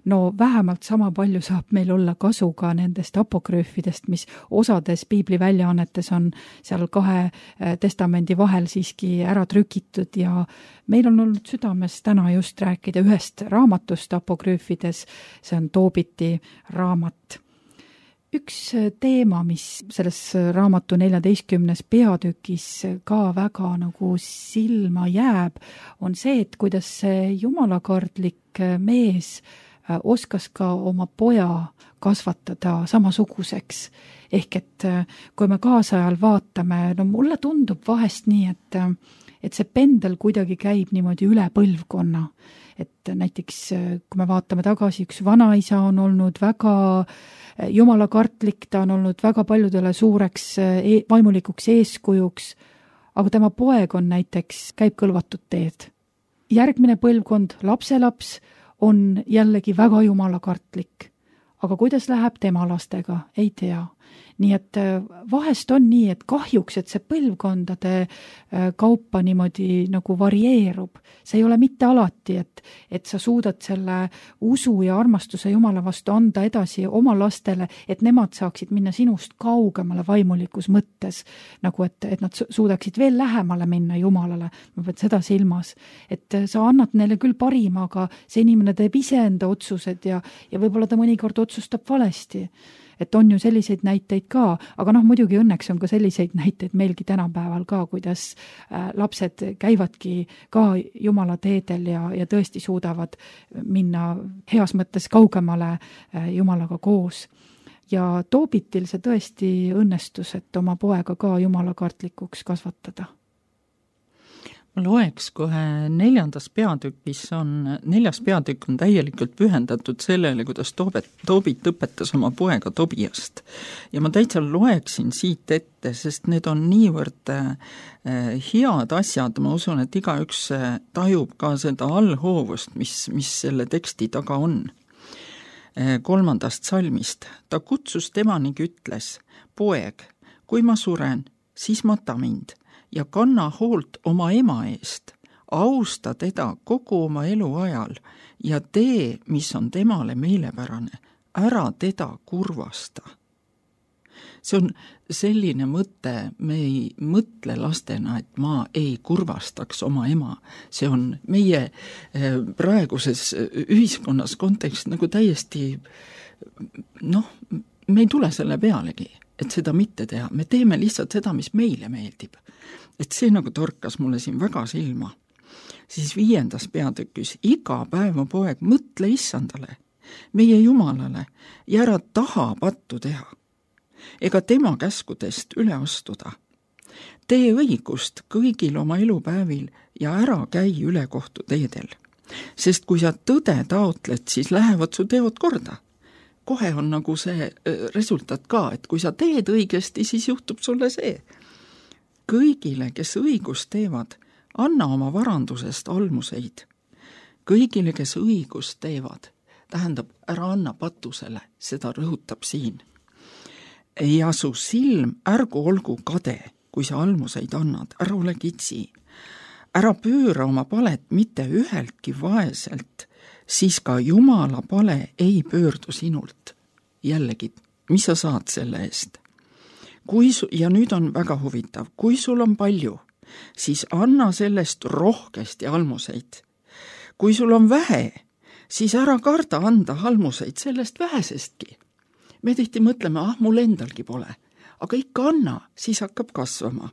No vähemalt sama palju saab meil olla kasu ka nendest apokrüüfidest, mis osades piibli väljaannetes on seal kahe testamendi vahel siiski ära trükitud ja meil on olnud südames täna just rääkida ühest raamatust apokrüüfides, see on Toobiti raamat. Üks teema, mis selles raamatu neljateistkümnes peatükis ka väga nagu silma jääb, on see, et kuidas see jumalakardlik mees oskas ka oma poja kasvatada samasuguseks. Ehk et kui me kaasajal vaatame, no mulle tundub vahest nii, et, et see pendel kuidagi käib niimoodi üle põlvkonna. Et näiteks kui me vaatame tagasi, üks vanaisa on olnud väga jumalakartlik, ta on olnud väga paljudele suureks vaimulikuks eeskujuks, aga tema poeg on näiteks, käib kõlvatut teed. Järgmine põlvkond, lapselaps, on jällegi väga jumalakartlik. Aga kuidas läheb tema lastega? Ei tea. Nii et vahest on nii, et kahjuks, et see põlvkondade kaupa niimoodi nagu varieerub. See ei ole mitte alati, et, et sa suudad selle usu ja armastuse Jumala vastu anda edasi oma lastele, et nemad saaksid minna sinust kaugemale vaimulikus mõttes, nagu et, et nad suudaksid veel lähemale minna Jumalale. Ma pean seda silmas, et sa annad neile küll parima, aga see inimene teeb ise enda otsused ja, ja võib-olla ta mõnikord otsustab valesti. Et on ju selliseid näiteid ka, aga noh, muidugi õnneks on ka selliseid näiteid meilgi tänapäeval ka, kuidas äh, lapsed käivadki ka Jumala teedel ja, ja tõesti suudavad minna heas mõttes kaugemale äh, Jumalaga koos. Ja Toobitil see tõesti õnnestus, et oma poega ka jumalakartlikuks kasvatada. Ma loeks kohe neljandas peatükis on, neljas peatükk on täielikult pühendatud sellele, kuidas Toobet, Toobit õpetas oma poega Tobiast. Ja ma täitsa loeksin siit ette, sest need on niivõrd äh, head asjad, ma usun, et igaüks tajub ka seda allhoovust, mis, mis selle teksti taga on. Äh, kolmandast salmist. Ta kutsus tema ning ütles, poeg, kui ma suren, siis mata mind ja kanna hoolt oma ema eest, austa teda kogu oma elu ajal ja tee, mis on temale meelepärane, ära teda kurvasta. See on selline mõte, me ei mõtle lastena, et ma ei kurvastaks oma ema. See on meie praeguses ühiskonnas kontekst nagu täiesti, noh, me ei tule selle pealegi, et seda mitte teha. Me teeme lihtsalt seda, mis meile meeldib. Et see nagu torkas mulle siin väga silma. Siis viiendas peatükis, iga päev mu poeg, mõtle issandale, meie Jumalale ja ära taha pattu teha, ega tema käskudest üle astuda. Tee õigust kõigil oma elupäevil ja ära käi üle kohtu teedel, sest kui sa tõde taotled, siis lähevad su teod korda. Kohe on nagu see resultaat ka, et kui sa teed õigesti, siis juhtub sulle see. Kõigile, kes õigust teevad, anna oma varandusest almuseid. Kõigile, kes õigust teevad, tähendab, ära anna patusele, seda rõhutab siin. Ja su silm ärgu olgu kade, kui sa almuseid annad, ära ole kitsi. ära pööra oma palet mitte üheltki vaeselt, siis ka Jumala pale ei pöördu sinult. Jällegi, mis sa saad selle eest? Kui su, ja nüüd on väga huvitav, kui sul on palju, siis anna sellest rohkesti almuseid. Kui sul on vähe, siis ära karda anda almuseid sellest vähesestki. Me tihti mõtleme, ah, mul endalgi pole, aga ikka anna, siis hakkab kasvama.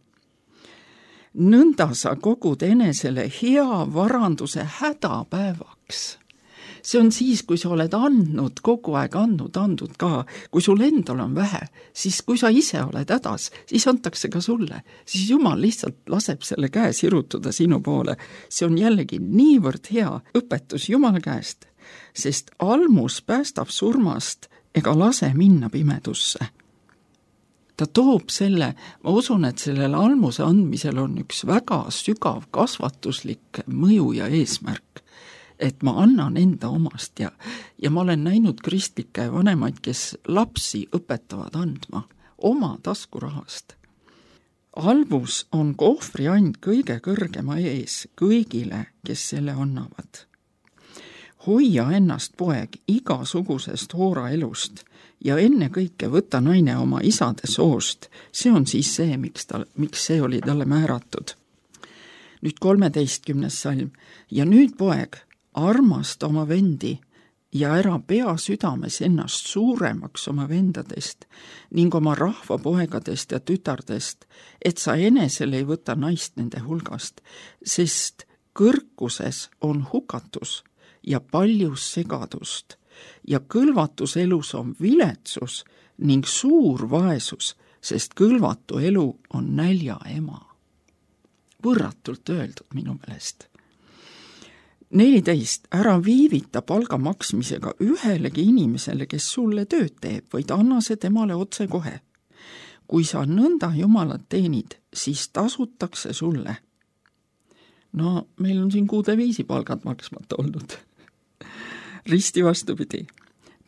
Nõnda sa kogud enesele hea varanduse hädapäevaks. See on siis, kui sa oled andnud, kogu aeg andnud, andnud ka. Kui sul endal on vähe, siis kui sa ise oled hädas, siis antakse ka sulle. Siis Jumal lihtsalt laseb selle käe sirutuda sinu poole. See on jällegi niivõrd hea õpetus Jumala käest, sest almus päästab surmast ega lase minna pimedusse. Ta toob selle, ma usun, et sellel almuse andmisel on üks väga sügav kasvatuslik mõju ja eesmärk, et ma annan enda omast ja, ja ma olen näinud kristlikke vanemaid, kes lapsi õpetavad andma oma taskurahast. Almus on ohvriand kõige kõrgema ees kõigile, kes selle annavad. Hoia ennast, poeg, igasugusest hoora elust ja enne kõike võta naine oma isade soost. See on siis see, miks, ta, miks see oli talle määratud. Nüüd kolmeteistkümnes salm. Ja nüüd, poeg, armasta oma vendi ja ära pea südames ennast suuremaks oma vendadest ning oma rahva poegadest ja tütardest, et sa enesel ei võta naist nende hulgast, sest kõrkuses on hukatus ja paljus segadust ja kõlvatus elus on viletsus ning suur vaesus, sest kõlvatu elu on nälja ema. Võrratult öeldud minu meelest. neliteist. Ära viivita palga maksmisega ühelegi inimesele, kes sulle tööd teeb, vaid anna see temale otse kohe. Kui sa nõnda Jumalat teenid, siis tasutakse sulle. No, meil on siin kuude viisi palgad maksmata olnud. Risti vastupidi.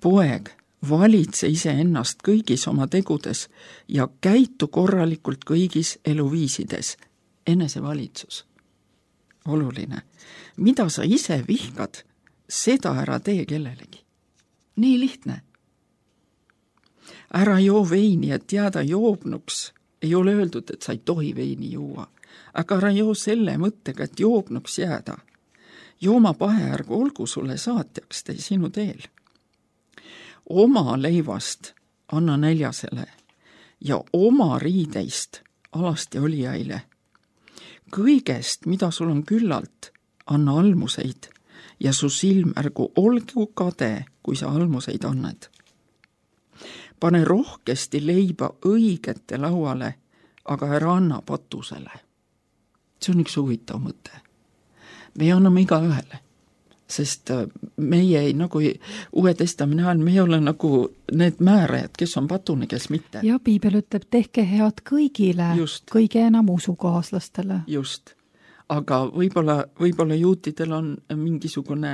Poeg, valitse ise ennast kõigis oma tegudes ja käitu korralikult kõigis eluviisides. Enesevalitsus. Oluline. Mida sa ise vihkad, seda ära tee kellelegi. Nii lihtne. Ära joo veini, et jääda joobnuks. Ei ole öeldud, et sa ei tohi veini juua. Aga ära joo selle mõttega, et joobnuks jääda. Jooma paheärgu olgu sulle saatjaks tee sinu teel. Oma leivast anna näljasele ja oma riideist alasti olijaile. Kõigest, mida sul on küllalt, anna almuseid ja su silm ärgu olgu kade, kui sa almuseid annad. Pane rohkesti leiba õigete lauale, aga ära anna patusele. See on üks huvitav mõte. Me anname iga ühele, sest meie ei, nagu Uue Testamenti ajal, me ei ole nagu need määrajad, kes on patune, kes mitte. Ja piibel ütleb, tehke head kõigile, just. Kõige enam usukaaslastele. Just, aga võib-olla, võib-olla juutidel on mingisugune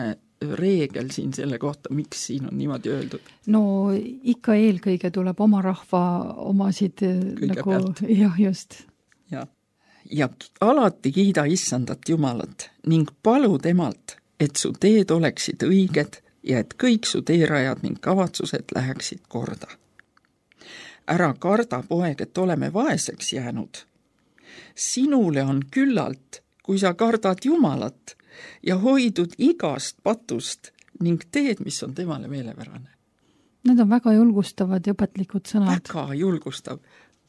reegel siin selle kohta, miks siin on niimoodi öeldud? No ikka eelkõige tuleb oma rahva omasid kõige nagu, pealt. Jah, just. Ja. ja alati kiida issandat Jumalat ning palu temalt, et su teed oleksid õiged ja et kõik su teerajad ning kavatsused läheksid korda. Ära karda, poeg, et oleme vaeseks jäänud. Sinule on küllalt, kui sa kardad Jumalat ja hoidud igast patust ning teed, mis on temale meelepärane. Need on väga julgustavad ja õpetlikud sõnad. Väga julgustav,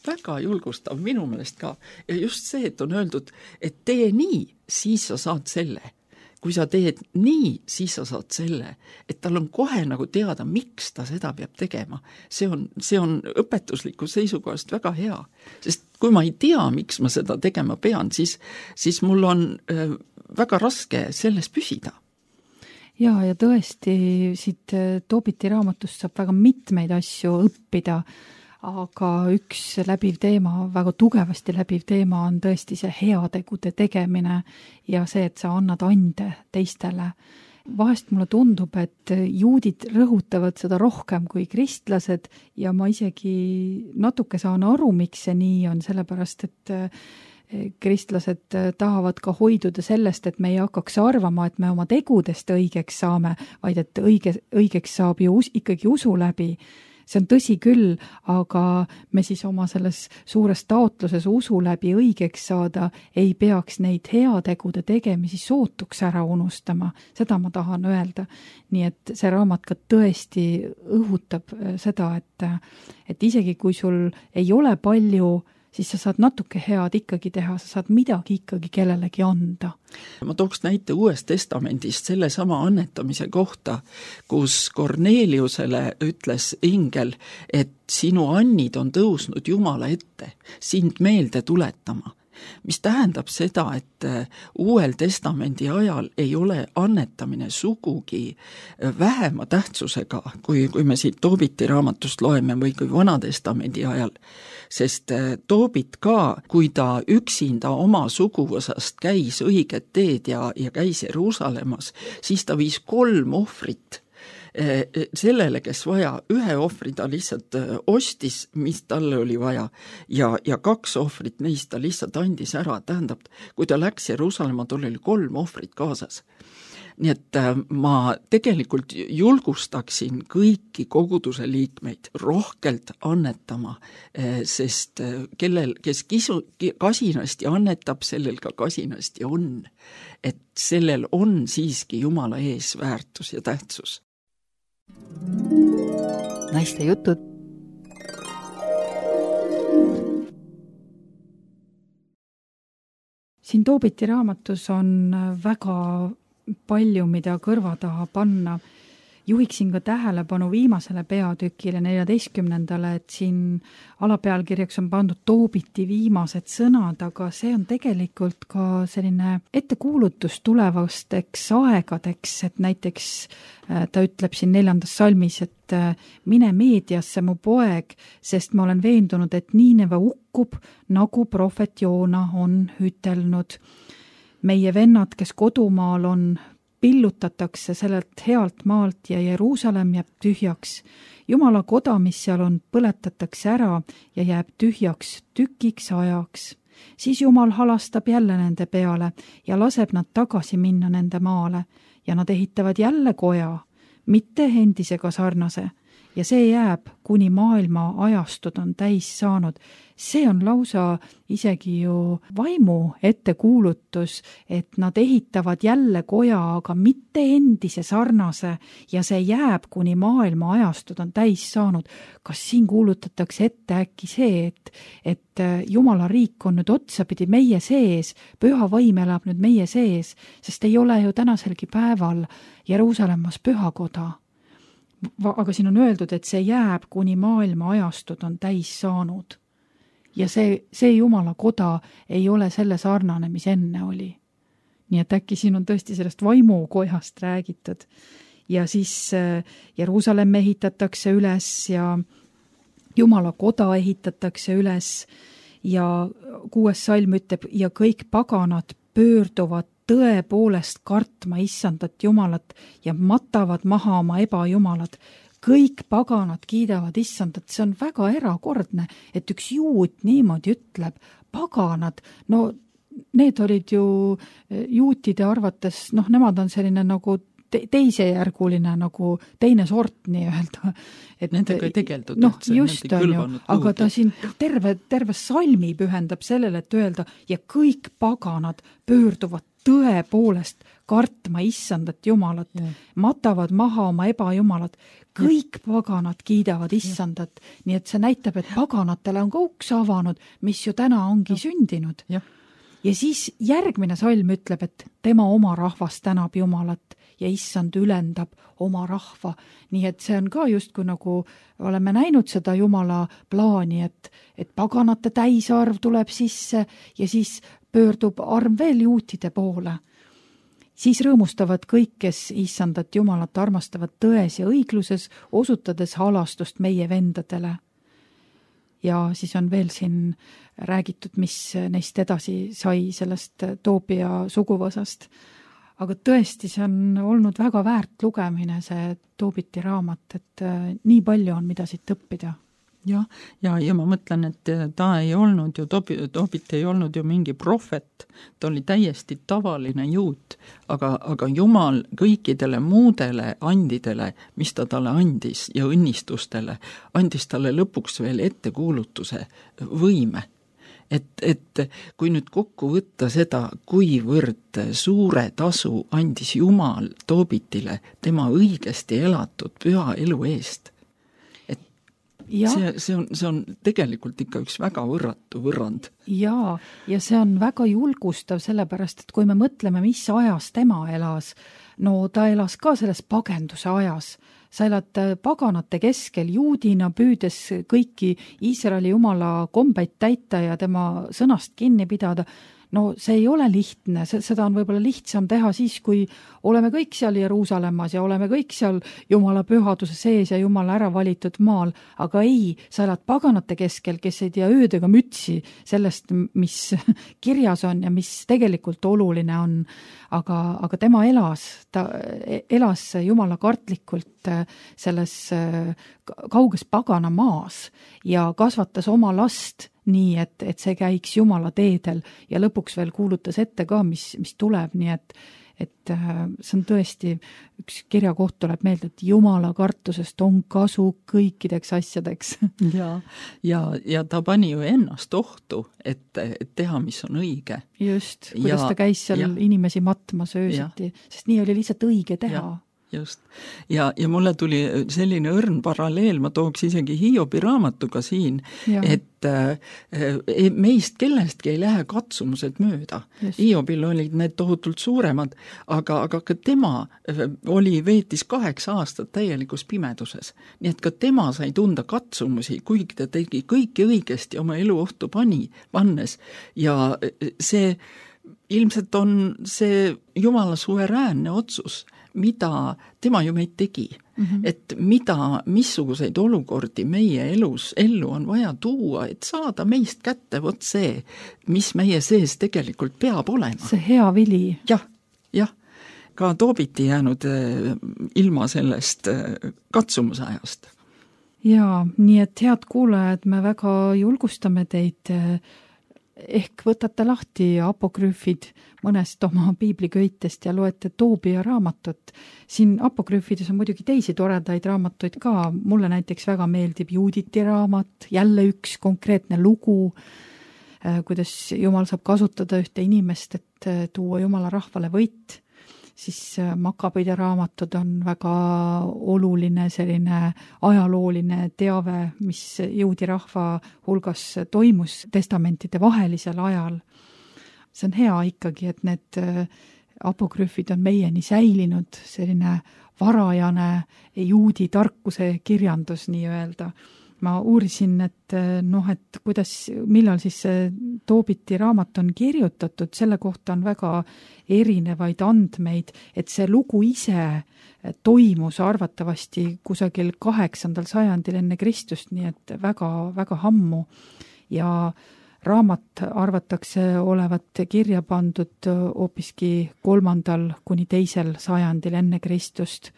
väga julgustav minu meelest ka. Ja just see, et on öeldud, et tee nii, siis sa saad selle. Kui sa teed nii, siis sa saad selle, et tal on kohe nagu teada, miks ta seda peab tegema. See on, see on õpetusliku seisukohast väga hea, sest kui ma ei tea, miks ma seda tegema pean, siis, siis mul on äh, väga raske selles püsida. Ja, ja tõesti siit Toobiti raamatust saab väga mitmeid asju õppida, aga üks läbiv teema, väga tugevasti läbiv teema on tõesti see heategude tegemine ja see, et sa annad ande teistele. Vahest mulle tundub, et juudid rõhutavad seda rohkem kui kristlased ja ma isegi natuke saan aru, miks see nii on, sellepärast et kristlased tahavad ka hoiduda sellest, et me ei hakkaks arvama, et me oma tegudest õigeks saame, vaid et õige, õigeks saab ju us, ikkagi usu läbi. See on tõsi küll, aga me siis oma selles suures taotluses usu läbi õigeks saada ei peaks neid heategude tegemisi sootuks ära unustama. Seda ma tahan öelda. Nii et see raamat ka tõesti õhutab seda, et, et isegi kui sul ei ole palju, siis sa saad natuke head ikkagi teha, sa saad midagi ikkagi kellelegi anda. Ma tooks näite Uuest Testamendist selle sama annetamise kohta, kus Korneliusele ütles ingel, et sinu annid on tõusnud Jumala ette, sind meelde tuletama. Mis tähendab seda, et Uuel Testamendi ajal ei ole annetamine sugugi vähema tähtsusega, kui, kui me siit Toobiti raamatust loeme või kui Vanatestamendi ajal, sest Toobit ka, kui ta üksinda oma suguvõsast käis õiget teed ja, ja käis Jeruusalemmas, siis ta viis kolm ohvrit sellele, kes vaja, ühe ohvri ta lihtsalt ostis, mis talle oli vaja, ja, ja kaks ohvrit neist ta lihtsalt andis ära, tähendab, kui ta läks Jeruusalemma, tal oli kolm ohvrit kaasas. Nii et ma tegelikult julgustaksin kõiki koguduse liikmeid rohkelt annetama, sest kellel, kes kisu, kasinasti annetab, sellel ka kasinasti on. Et sellel on siiski Jumala ees väärtus ja tähtsus. Naiste jutud. Siin Toobiti raamatus on väga palju, mida kõrva taha panna. Juhiksin ka tähelepanu viimasele peatükile, neljateistkümnendale, et siin alapealkirjaks on pandud Toobiti viimased sõnad, aga see on tegelikult ka selline ettekuulutus tulevasteks aegadeks, et näiteks ta ütleb siin neljandas salmis, et mine meediasse, mu poeg, sest ma olen veendunud, et Niineve ukkub, nagu prohvet Joona on ütelnud. Meie vennad, kes kodumaal on, pillutatakse sellelt healt maalt ja Jeruusalemm jääb tühjaks. Jumala koda, mis seal on, põletatakse ära ja jääb tühjaks tükiks ajaks. Siis Jumal halastab jälle nende peale ja laseb nad tagasi minna nende maale ja nad ehitavad jälle koja, mitte endisega sarnase. Ja see jääb, kuni maailma ajastud on täis saanud. See on lausa isegi ju vaimu ettekuulutus, et nad ehitavad jälle koja, aga mitte endise sarnase ja see jääb, kuni maailma ajastud on täis saanud. Kas siin kuulutatakse ette äkki see, et, et Jumala riik on nüüd otsapidi meie sees, püha vaim elab nüüd meie sees, sest ei ole ju tänaselgi päeval Jeruusalemmas pühakoda. Aga siin on öeldud, et see jääb, kuni maailma ajastud on täis saanud. Ja see, see Jumala koda ei ole selle sarnane, mis enne oli. Nii et äkki siin on tõesti sellest vaimukojast räägitud. Ja siis Jeruusalemm ehitatakse üles ja Jumala koda ehitatakse üles ja kuues salm ütleb, ja kõik paganad pöörduvad tõepoolest kartma issandat Jumalat ja matavad maha oma ebajumalad. Kõik paganad kiidavad issandat, see on väga erakordne, et üks juut niimoodi ütleb, paganad, no need olid ju juutide arvates, noh, nemad on selline nagu te- teisejärguline, nagu teine sort nii-öelda. Et nendega ei tegeldud. Noh, just on ju, aga ta siin terve, terve salmi pühendab sellele, et öelda, ja kõik paganad pöörduvad tõepoolest kartma issandat Jumalat, ja. Matavad maha oma ebajumalad, kõik ja. Paganad kiidavad issandat, ja. Nii et see näitab, et paganatele on ka uks avanud, mis ju täna ongi ja. Sündinud. Ja. Ja siis järgmine salm ütleb, et tema oma rahvas tänab Jumalat ja issand ülendab oma rahva. Nii et see on ka justkui nagu oleme näinud seda Jumala plaani, et, et paganate täisarv tuleb sisse ja siis pöördub arm veel juutide poole. Siis rõõmustavad kõik, kes issandat Jumalat armastavad tões ja õigluses, osutades halastust meie vendadele. Ja siis on veel siin räägitud, mis neist edasi sai sellest Toobia suguvõsast. Aga tõesti, see on olnud väga väärt lugemine, see Toobiti raamat, et nii palju on, mida siit õppida. jah, ja, ja ma mõtlen, et ta ei olnud ju, Tobit ei olnud ju mingi prohvet, ta oli täiesti tavaline juut, aga, aga Jumal kõikidele muudele andidele, mis ta talle andis ja õnnistustele, andis talle lõpuks veel ettekuulutuse võime. Et, et kui nüüd kokku võtta seda, kuivõrd suure tasu andis Jumal Tobitile tema õigesti elatud püha elu eest, Ja. See, see, on, see on tegelikult ikka üks väga võrratu võrrand. Jaa, ja see on väga julgustav, sellepärast, et kui me mõtleme, mis ajas tema elas, no ta elas ka selles pagenduse ajas. Sa elad paganate keskel juudina, püüdes kõiki Iisraeli jumala kombeid täita ja tema sõnast kinni pidada. No see ei ole lihtne, seda on võib-olla lihtsam teha siis, kui oleme kõik seal Jeruusalemmas ja oleme kõik seal Jumala pühaduse sees ja Jumala ära valitud maal, aga ei, sa elad paganate keskel, kes ei tea öödega mütsi sellest, mis kirjas on ja mis tegelikult oluline on, aga, aga tema elas, ta elas Jumala kartlikult selles kauges pagana maas ja kasvatas oma last nii, et, et see käiks Jumala teedel ja lõpuks veel kuulutas ette ka, mis, mis tuleb, nii et, et see on tõesti, üks kirjakoht tuleb meelde, et Jumala kartusest on kasu kõikideks asjadeks. Ja, ja, ja ta pani ju ennast ohtu, et, et teha, mis on õige. Just, kuidas ja, ta käis seal ja, inimesi matmas öösiti, sest nii oli lihtsalt õige teha. Ja. Just. Ja, ja mulle tuli selline õrn paralleel, ma tooks isegi Hiobi raamatuga siin, ja. et äh, meist kellestki ei lähe katsumused mööda. Just. Hiobil olid need tohutult suuremad, aga, aga ka tema oli veetis kaheksa aastat täielikus pimeduses. Nii et ka tema sai tunda katsumusi, kuigi ta tegi kõike õigesti oma elu ohtu pani, pannes. Ja see ilmselt on see Jumala suveräänne otsus, mida tema ju meid tegi, mm-hmm. et mida, missuguseid olukordi meie elus ellu on vaja tuua, et saada meist kätte vot see, mis meie sees tegelikult peab olema. See hea vili. Jah, jah. Ka Tobit ei jäänud ilma sellest katsumusajast. Jaa, nii et head kuulajad, me väga julgustame teid, ehk võtate lahti apokrüüfid mõnest oma piibliköitest ja loete Toobia raamatut. Siin apokrüüfides on muidugi teisi toredaid raamatuid ka. Mulle näiteks väga meeldib Juuditi raamat, jälle üks konkreetne lugu, kuidas Jumal saab kasutada ühte inimest, et tuua Jumala rahvale võit. Siis Makabide raamatud on väga oluline selline ajalooline teave, mis juudi rahva hulgas toimus testamentide vahelisel ajal. See on hea ikkagi, et need apokrüüfid on meieni säilinud, selline varajane juudi tarkuse kirjandus nii-öelda. Ma uurisin, et noh, et kuidas, millal siis see Tobiti raamat on kirjutatud, selle kohta on väga erinevaid andmeid, et see lugu ise toimus arvatavasti kusagil kaheksandal sajandil enne Kristust, nii et väga, väga ammu. Ja raamat arvatakse olevat kirja pandud hoopiski kolmandal kuni teisel sajandil enne Kristust.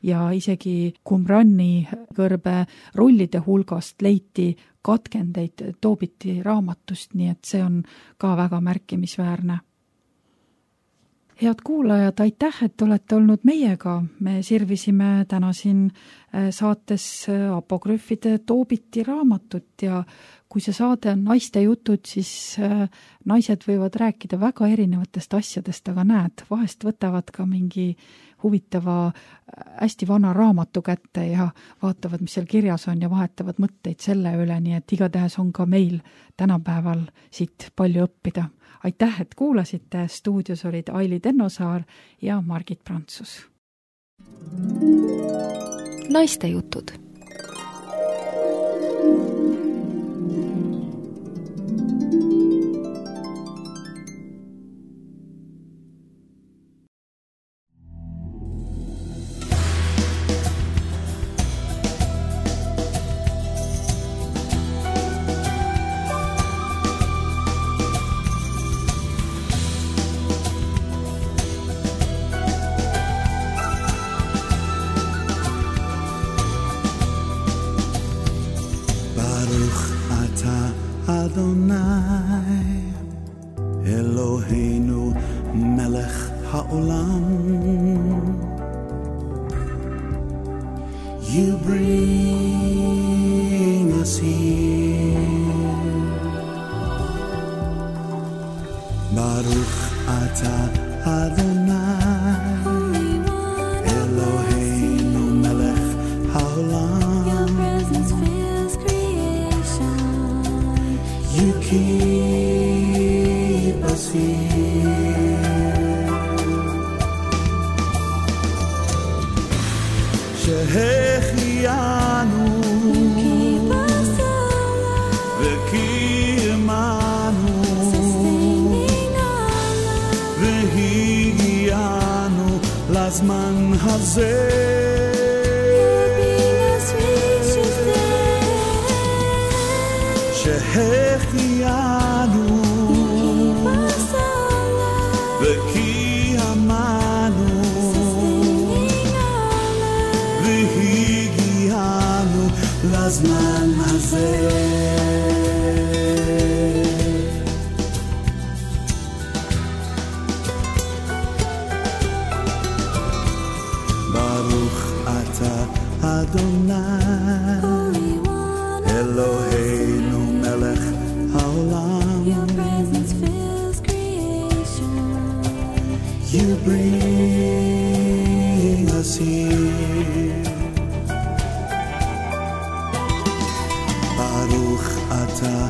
Ja isegi Qumrani kõrbe rullide hulgast leiti katkendeid Tobiti raamatust, nii et see on ka väga märkimisväärne. Head kuulajad, aitäh, et olete olnud meiega. Me sirvisime täna siin saates apokrüüfide Tobiti raamatut ja kui see saade on naiste jutud, siis naised võivad rääkida väga erinevatest asjadest, aga näed, vahest võtavad ka mingi huvitava hästi vana raamatu kätte ja vaatavad, mis seal kirjas on ja vahetavad mõtteid selle üle, nii et igatahes on ka meil tänapäeval siit palju õppida. Aitäh, et kuulasite, stuudios olid Aili Tennosaar ja Margit Prantsus. Naiste jutud. Eloheinu melech ha'olam. You bring us here. Baruch atah Adonai, Eloheinu melech ha'olam. Your presence fills creation. You keep us here. Shehechianu, Keep us alive, v'kiyemanu, sustaining our lives. v'higianu lazman hazeh. Helping us reach this day. Shehechianu, Keep us alive, v'kiyemanu, sustaining our lives. v'higianu lazman hazeh. Baruch atah Adonai, Holy One, Eloheinu melech ha'olam. your presence fills creation. You bring us here. Baruch atah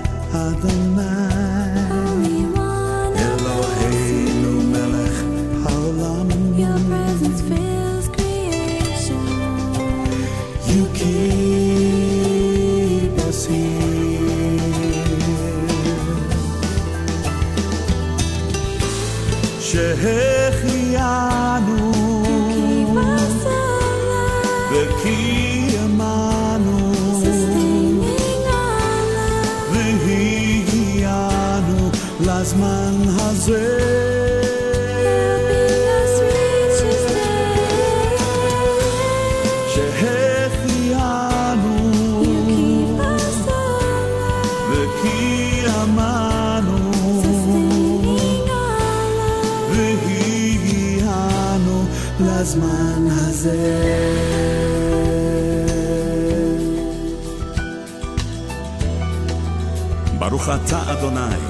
Adonai, Holy One, Eloheinu melech ha'olam. your presence fills creation. You keep us here. Shehechianu, Keep us alive, v'kiyemanu, sustaining our lives. v'higianu lazman hazeh. Helping us reach this day. Shehechianu, You keep us alive, v'kiyemanu, sustaining our lives. v'higianu lazman hazeh. Baruch atah Adonai,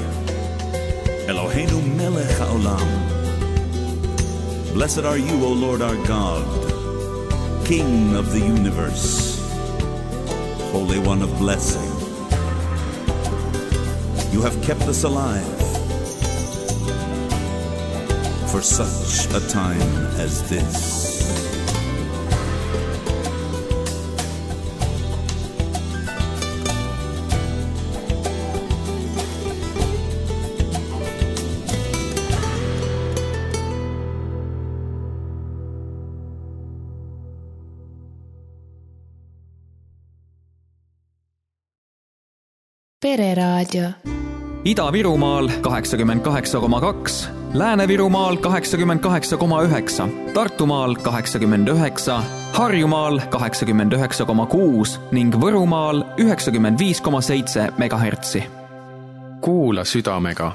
Eloheinu melech ha'olam. Blessed are you, O Lord our God, King of the universe, Holy One of blessing. You have kept us alive for such a time as this. Pereraadio. Ida-Virumaal kaheksakümmend kaheksa koma kaks, Lääne-Virumaal kaheksakümmend kaheksa koma üheksa, Tartumaal kaheksakümmend üheksa, Harjumaal kaheksakümmend üheksa koma kuus ning Võrumaal üheksakümmend viis koma seitse megahertsi. Kuula südamega